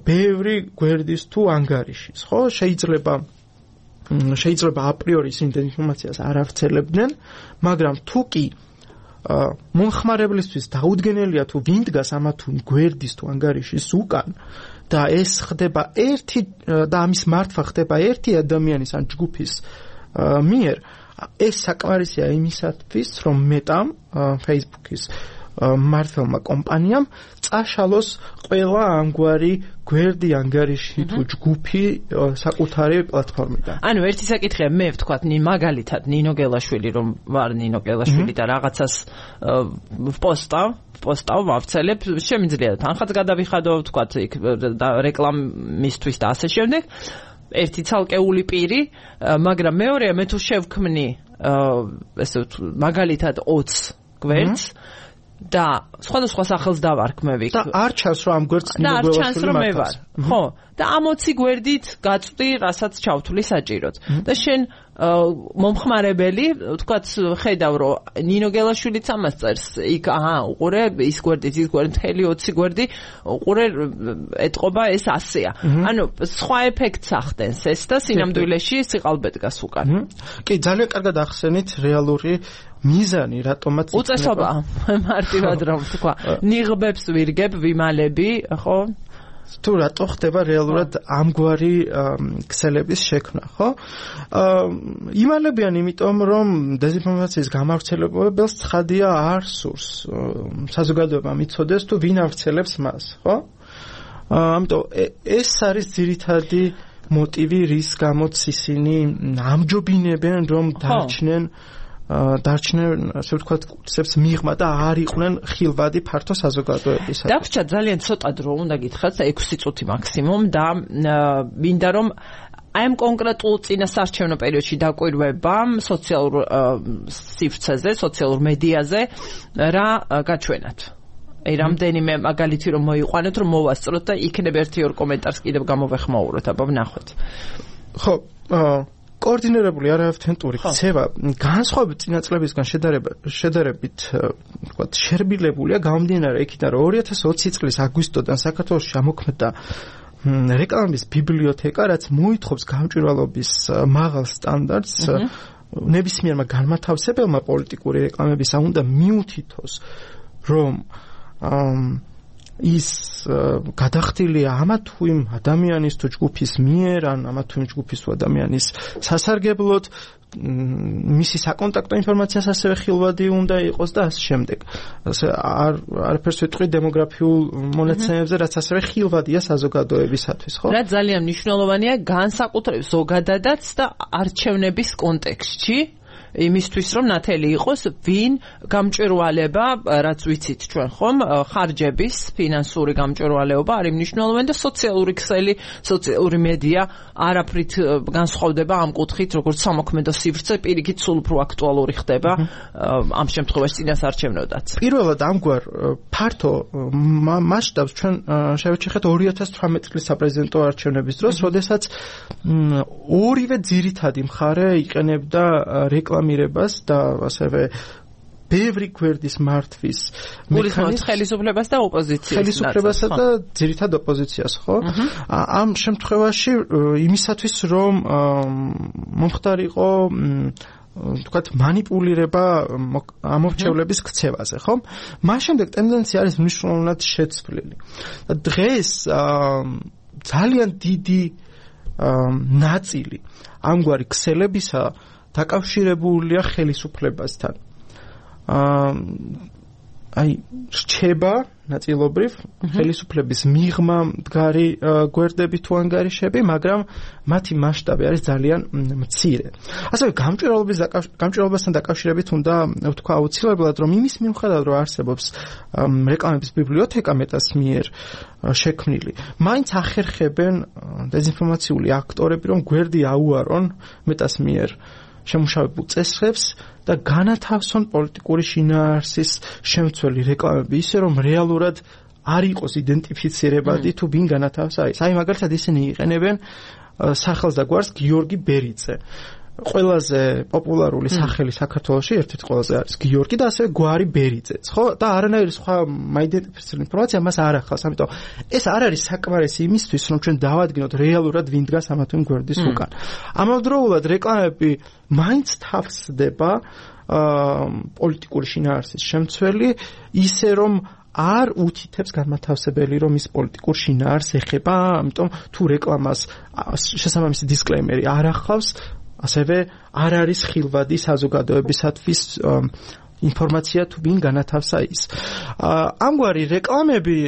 ბევრი გვერდის თუ ანგარიშის, ხო? შეიძლება აპრიორი ისინი ინფორმაციას არ ავრცელებდნენ, მაგრამ თუ კი მომხმარებლისთვის დაუდგენელია თუ ვინ დგას ამა თუ გვერდის თუ ანგარიშის უკან და ეს ხდება ერთი და ამის მართვა ხდება ერთი ადამიანის ან ჯგუფის მიერ, ეს საკმარისია იმისათვის, რომ მეტამ Facebook-ის მართლმა კომპანიამ წაშალოს ყველა ამგვარი გვერდი ანგარიში თუ ჯგუფი საკუთარი პლატფორმიდან. ანუ ერთი საკითხია, მე ვთქვათ, მაგალითად ნინო გელაშვილი, რომ ვარ ნინო გელაშვილი და რაღაცას ვპოსტავ, ვავრცელებ, შემიძლია თანხაც გადავიხადო, ვთქვათ, იქ რეკლამისთვის და ასე შემდეგ. ერთი ცალკეული პირი, მაგრამ მეორეა, მე თუ შევქმნი ესე მაგალითად 20 გვერდს და სხვადასხვა სახელს დავარქმევი. და არ ჩანს, რომ ამ გვერდს ნინოგელაშვილი მე ვარ. ხო, და ამ 20 გვერდით გაწვდი, რასაც ჩავთვლი საჭიროდ. და შენ მომხმარებელი, ვთქვათ, ხედავ, რომ ნინოგელაშვილიც ამას წერს, იქ უყურე ის გვერდით, ის გვერდი, მთელი 20 გვერდი უყურე, ეტყობა ეს 100-ია. ანუ სხვა ეფექტს ახდენს ეს და სინამდვილეში სიყალბედგას უკან. კი, ძალიან კარგად ახსენით რეალური მიზანი, რატომაც უწესობა მარტივად რომ თქვა, ნიღბებს ვირგებ, ვიმალები, ხო? თუ რატო ხდება რეალურად ამგვარი ქსელების შექმნა, ხო? იმალებიან იმიტომ, რომ დეზინფორმაციის გამავრცელებელს ცხადია არ სურს საზოგადოებამ იცოდეს თუ ვინ ავრცელებს მას, ხო? ამიტომ ეს არის ძირითადი მოტივი, რის გამოც ისინი ამჯობინებენ, რომ დარჩნენ, ასე ვთქვათ, კურსებს მიღმა და არ იყვნენ ხილვადი ფართო საზოგადოებისა. დაგვრჩა ძალიან ცოტა დრო, უნდა გითხრათ, 6 წუთი მაქსიმუმ და მინდა რომ აი ამ კონკრეტულ წინასარჩევნო პერიოდში დაკვირვებამ სოციალურ სივრცეზე, სოციალურ მედიაზე რა გაჩვენათ. აი რამდენიმე მაგალითი რომ მოიყვანოთ, რომ მოვასწროთ და იქნებ 1-2 კომენტარს კიდევ გამოვეხმაუროთ, აბა ვნახოთ. ხო, კოორდინირებული არაავთენტური ქცევა განსხვავებით წინაწლებისგან შედარებით ვთქვათ შერბილებულია გამომდინარე იქიდან რომ 2020 წლის აგვისტოდან საქართველოში ამოქმედა რეკლამის ბიბლიოთეკა, რაც მოითხოვს გამჭვირვალობის მაღალ სტანდარტს ნებისმიერმა განმათავსებელმა პოლიტიკური რეკლამებისა უნდა მიუთითოს რომ ის გადახდილია ამა თუ იმ ადამიანის თუ ჯგუფის მიერ ან ამა თუ იმ ჯგუფის თუ ადამიანის სასარგებლოდ მისი საკონტაქტო ინფორმაციას ასევე ხილვადი უნდა იყოს და ასე შემდეგ. ასე არაფერს ვიტყვი დემოგრაფიულ მონაცემებზე, რაც ასევე ხილვადია საზოგადოებისათვის, ხო? რაც ძალიან მნიშვნელოვანია განსაკუთრებით ზოგადადაც და არჩევნების კონტექსტში. იმისთვის რომ ნათელი იყოს ვინ გამჭვირვალება რაც ვიცით ჩვენ ხომ ხარჯების ფინანსური გამჭვირვალეობა არის მნიშვნელოვანი და სოციალური ქსელი სოციალური მედია არაფრით განსხვავდება ამ კუთხით როგორც სამოქმედო სივრცე პირიქით სულ უფრო აქტუალური ხდება ამ შემთხვევაში წინასარჩევნოდაც პირველად ამგვარ ფართო მასშტაბს ჩვენ შევეჩეხეთ 2018 წლის საპრეზიდენტო არჩევნების დროს როდესაც ორივე ძირითადი მხარე იყენებდა რეკლამირებას და ასევე ბევრი გვერდის მართვის მექანიზმს ხელისუფლებას და ოპოზიციას ხელისუფლებასა და ძირითად ოპოზიციას ხო ამ შემთხვევაში იმისათვის რომ მომხდარიყო თქვათ манипулირება ამორჩევლების ქცევაზე ხო მას შემდეგ ტენდენცია არის მნიშვნელოვნად შეცვლილი და დღეს ძალიან დიდი ნაწილი ამგვარი ქსელებისა დაკავშირებულია ხელისუფლებასთან. აი რჩება ნაწილობრივ ხელისუფლების მიღმა მდგარი გვერდები თუ ანგარიშები, მაგრამ მათი მასშტაბი არის ძალიან მცირე. ასევე გამჭვირვალობასთან დაკავშირებით უნდა ვთქვა აუცილებლად, რომ იმის მიუხედავად რომ არსებობს რეკლამების ბიბლიოთეკა მეტას მიერ შექმნილი, მაინც ახერხებენ დეзинფორმაციული აქტორები, რომ გვერდი აუარონ მეტას მიერ შემუშავებულ წესრებს და განათავსონ პოლიტიკური შინაარსის შემცველი რეკლამები ისე რომ რეალურად არ იყოს იდენტიფიცირებადი თუ ვინ განათავსა ის. აი მაგალითად ისინი იყენებენ სახელს და გვარს გიორგი ბერიძე. ყველაზე პოპულარული სახელი საქართველოში ერთ-ერთი ყველაზე არის გიორგი და ასევე გვარი ბერიძეც, ხო? და არანაირი სხვა მაიდენტიფიცირებული ინფორმაცია მას არ ახავს. ამიტომ ეს არ არის საკმარისი იმისთვის, რომ ჩვენ დავადგინოთ რეალურად ვინ დგას ამა თუ იმ გვერდის უკან. ამავდროულად რეკლამები მაინც თავსდება პოლიტიკური შინაარსის შემცველი, ისე რომ არ უთითებს განმათავსებელი რომ ის პოლიტიკურ შინაარსს ეხება, ამიტომ თუ რეკლამას შესაბამისი დისკლეიმერი არ ახავს ასევე არ არის ხილვადი საზოგადოებისათვის ინფორმაცია თუ ვინ განათავსა ის. ამგვარი რეკლამები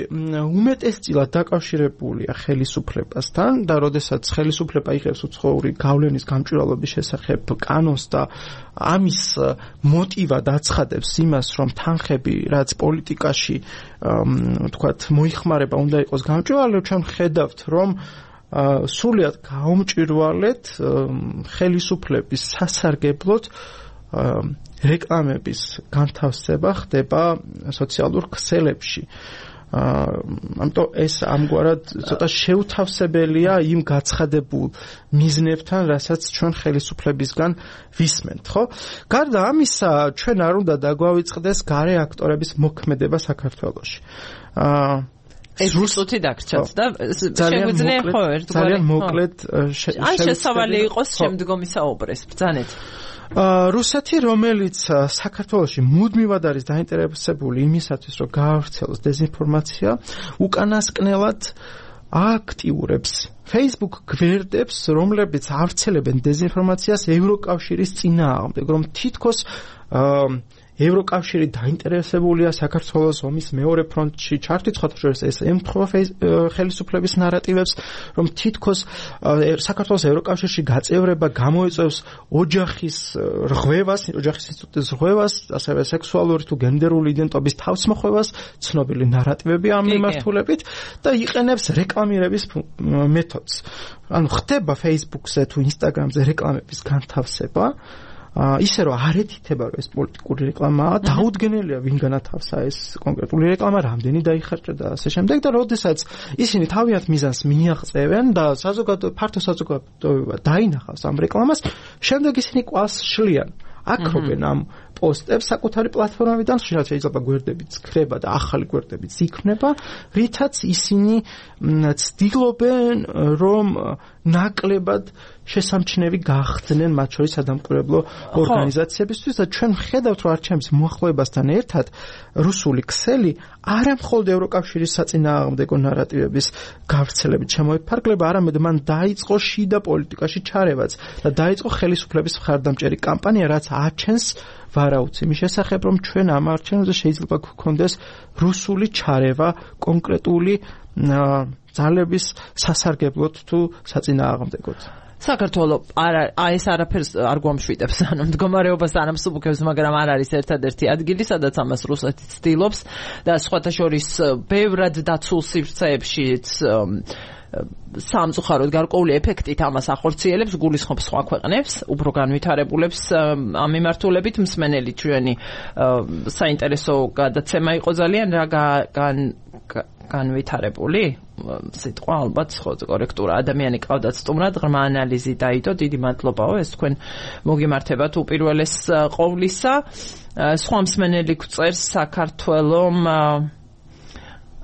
უმეტესწილად დაკავშირებულია ხელისუფლებასთან და როდესაც ხელისუფლება იღებს უცხოური გავლენის გამჭვირვალობის შესახებ კანონს და ამის მოტივად აცხადებს იმას, რომ თანხები, რაც პოლიტიკაში თქვათ მოიხმარება, უნდა იყოს გამჭვირვალე, ჩვენ ხედავთ, რომ სულიად გაუმჭვირვალეთ ხელისუფლების სასარგებლოდ რეკლამების განთავსება ხდება სოციალურ ქსელებში. ამიტომ ეს ამგვარად ცოტა შეუთავსებელია იმ გაცხადებულ მიზნებთან, რასაც ჩვენ ხელისუფლებისგან ვისმენთ, ხო? გარდა ამისა, ჩვენ არ უნდა დაგვავიწყდეს გარე აქტორების მოქმედება საქართველოში. ეს რუსუთი დაგრჩათ და შეგვიძლია ხო ერთგვარი ძალიან მოკლედ ან შესავალი იყოს შემდგომი საუბრეს ბრძანეთ რუსეთი რომელიც საქართველოში მუდმივად არის დაინტერესებული იმისათვის რომ გაავრცელოს დეзинფორმაცია უკანასკნელად აქტიურებს Facebook გვერდებს რომლებიც ავრცელებენ დეзинფორმაციას ევროკავშირის წინააღმდეგ რომ თითქოს ევროკავშირი დაინტერესებულია საქართველოს ომის მეორე ფრონტში ჩართვით, ხათაშორის ეს ემთხვევა ხელისუფლების ნარატივებს, რომ თითქოს საქართველოს ევროკავშირში გაწევრება გამოიწვევს ოჯახის რღვევას, ოჯახის ინსტიტუტის რღვევას, ასევე სექსუალური თუ გენდერული იდენტობის თავსმოხვევას, ცნობილი ნარატივები ამ მიმართულებით და იყენებს რეკლამირების მეთოდს. ანუ ხდება Facebook-ზე თუ Instagram-ზე რეკლამების განთავსება ისე რომ არ ეთითება რომ ეს პოლიტიკური რეკლამაა, დაუდგენელია ვინ განათავსა ეს კონკრეტული რეკლამა, რამდენი დაიხარჯა და ასე შემდეგ და როდესაც ისინი თავიანთ მიზანს მიაღწევენ და ფართო საზოგადოება დაინახავს ამ რეკლამას, შემდეგ ისინი კვალს შლიან. აკრობენ ამ პოსტებს საკუთარი პლატფორმებიდან, ხშირად შეიძლება გვერდებიც ქრება და ახალი გვერდებიც იქმნება, რითაც ისინი ცდილობენ რომ ნაკლებად შესამჩნევი გახდნენ მათ შორის სადამკვირვებლო ორგანიზაციებისთვის და ჩვენ ვხედავთ, რომ არჩევნების მოახლოებასთან ერთად რუსული ქსელი არა მხოლოდ ევროკავშირის საწინააღმდეგო ნარატივების გავრცელებით შემოიფარგლება, არამედ მან დაიწყო შიდა პოლიტიკაში ჩარევაც და დაიწყო ხელისუფლების მხარდამჭერი კამპანია, რაც აჩენს ვარაუდს იმის შესახებ, რომ ჩვენ ამ არჩევნებზე შეიძლება გვქონდეს რუსული ჩარევა კონკრეტული ძალების სასარგებლოდ თუ საწინააღმდეგოდ. საქართველო ეს არაფერს არ გვამშვიდებს, ანუ მდგომარეობას არ ამსუბუქებს, მაგრამ არ არის ერთადერთი ადგილი, სადაც ამას რუსეთი ცდილობს და სხვათა შორის ბევრად დაცულ სივრცეებშიც სამწუხაროდ გარკვეული ეფექტით ამას ახორციელებს, გულისხმობს სხვა ქვეყნებს, უფრო განვითარებულებს ამ მიმართულებით. მსმენელი ჩვენი საინტერესო გადაცემა იყო ძალიან რა განვითარებული სიტყვა ალბათ ხო კორექტურა ადამიანი ყავდათ სტუმრად ღრმა ანალიზი დაიდო დიდი მადლობაო ეს თქვენ მოგიმართებათ უპირველეს ყოვლისა სხვა მსმენელი გვწერს საქართველოს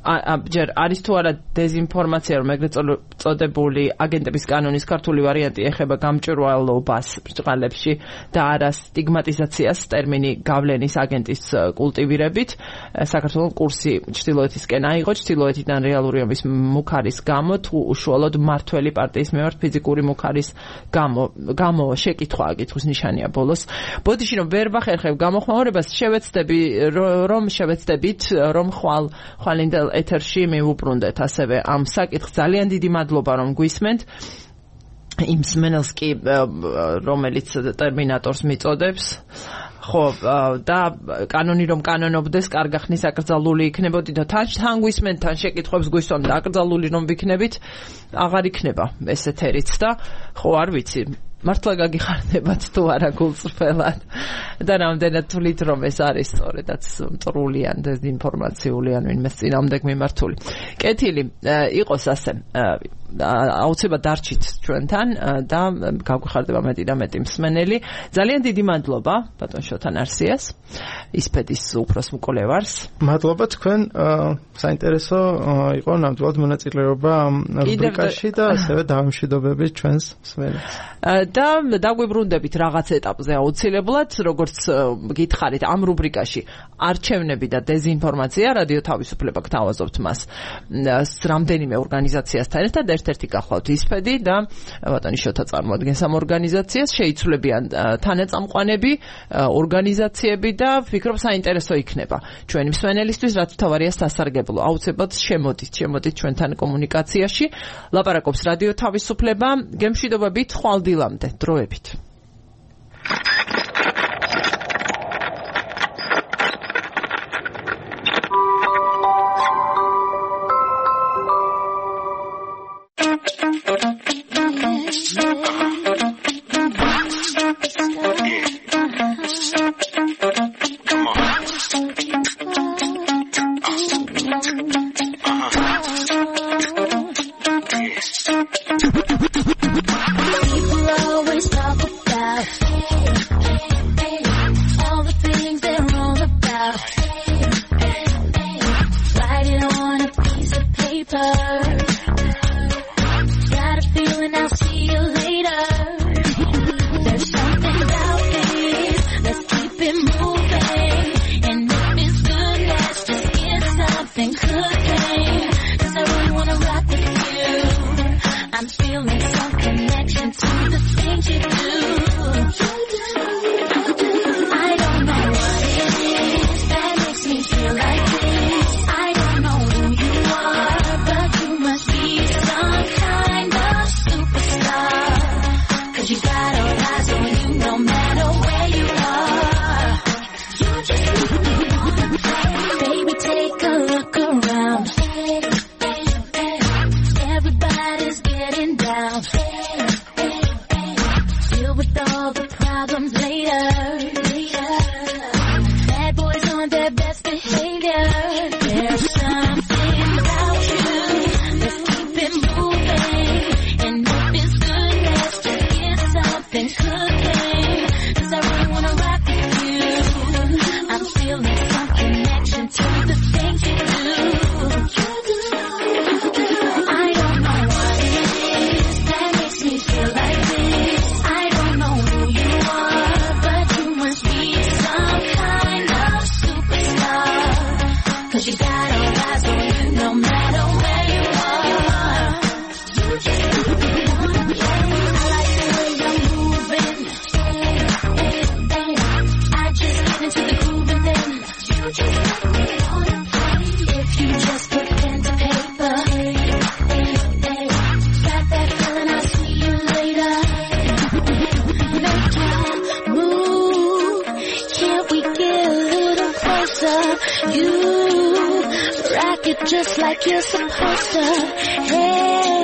ჯერ არის თუ არა დეზინფორმაცია რომ ეგრეთ წოდებული აგენტების კანონის ქართული ვარიანტი ეხება გამჭვირვალობას ბრჭყალებში და არა სტიგმატიზაციას ტერმინი გავლენის აგენტის კულტივირებით საქართველოს კურსი ჩრდილოეთისკენ აიღო ჩრდილოეთიდან რეალური ომის მუქარის გამო თუ უშუალოდ მართველი პარტიის მიმართ ფიზიკური მუქარის გამო შეკითხვაა კითხვის ნიშანია ბოლოს ბოდიში რომ ვერ ვახერხებ გამოხმაურებას შევეცდებით რომ ხვალინდელ ეთერში მივუბრუნდეთ ასევე ამ საკითხს ძალიან დიდი მადლობა რომ გვისმენთ იმ მსმენელს კი რომელიც ტერმინატორს მიწოდებს ხო და კანონი რომ კანონობდეს კარგა ხნის აკრძალული იქნებოდი და თან გვისმენთ თან შეკითხვებს გვისვამ და აკრძალული რომ ვიქნებით აღარ იქნება ეს ეთერიც და ხო არ ვიცი მართლა გაგიხარდებათ თუ არა გულწრფელად და რამდენად თვლით რომ ეს არის სწორედაც მტრული ან დეზინფორმაციული ან ვინმეს წინააღმდეგ მიმართული. კეთილი იყოს ასე აუცილებლად დარჩით ჩვენთან და გაგვიხარდება მეტი და მეტი მსმენელი. ძალიან დიდი მადლობა ბატონ შოთან არსიას ისპედის უფროს მკვლევარს. მადლობა თქვენ საინტერესო იყო ნამდვილად მონაწილეობა რუბრიკაში და ასევე დავამშვიდობებით ჩვენს მსმენელს. და დაგვიბრუნდებით რაღაც ეტაპზე აუცილებლად, როგორც გითხარით ამ რუბრიკაში არჩევნები და დეზინფორმაცია, რადიო თავისუფლება გთავაზობთ მას რამდენიმე ორგანიზაციასთან ერთად, ერთ-ერთი გახლავთ ისფედი და ბატონი შოთა წარმოადგენს ამ ორგანიზაციას, შეიცვლებიან თანაწამყვანები, ორგანიზაციები და ვფიქრობ საინტერესო იქნება ჩვენი მსმენელისთვის, რაც თავარია სასარგებლო. აუცილებლად შემოდით ჩვენთან კომუნიკაციაში. ლაპარაკობს რადიო თავისუფლება, გემშვიდობებით ხვალდილამდე დროებით. Feel like this. I don't know who you are, but you just like you're supposed to. Hey.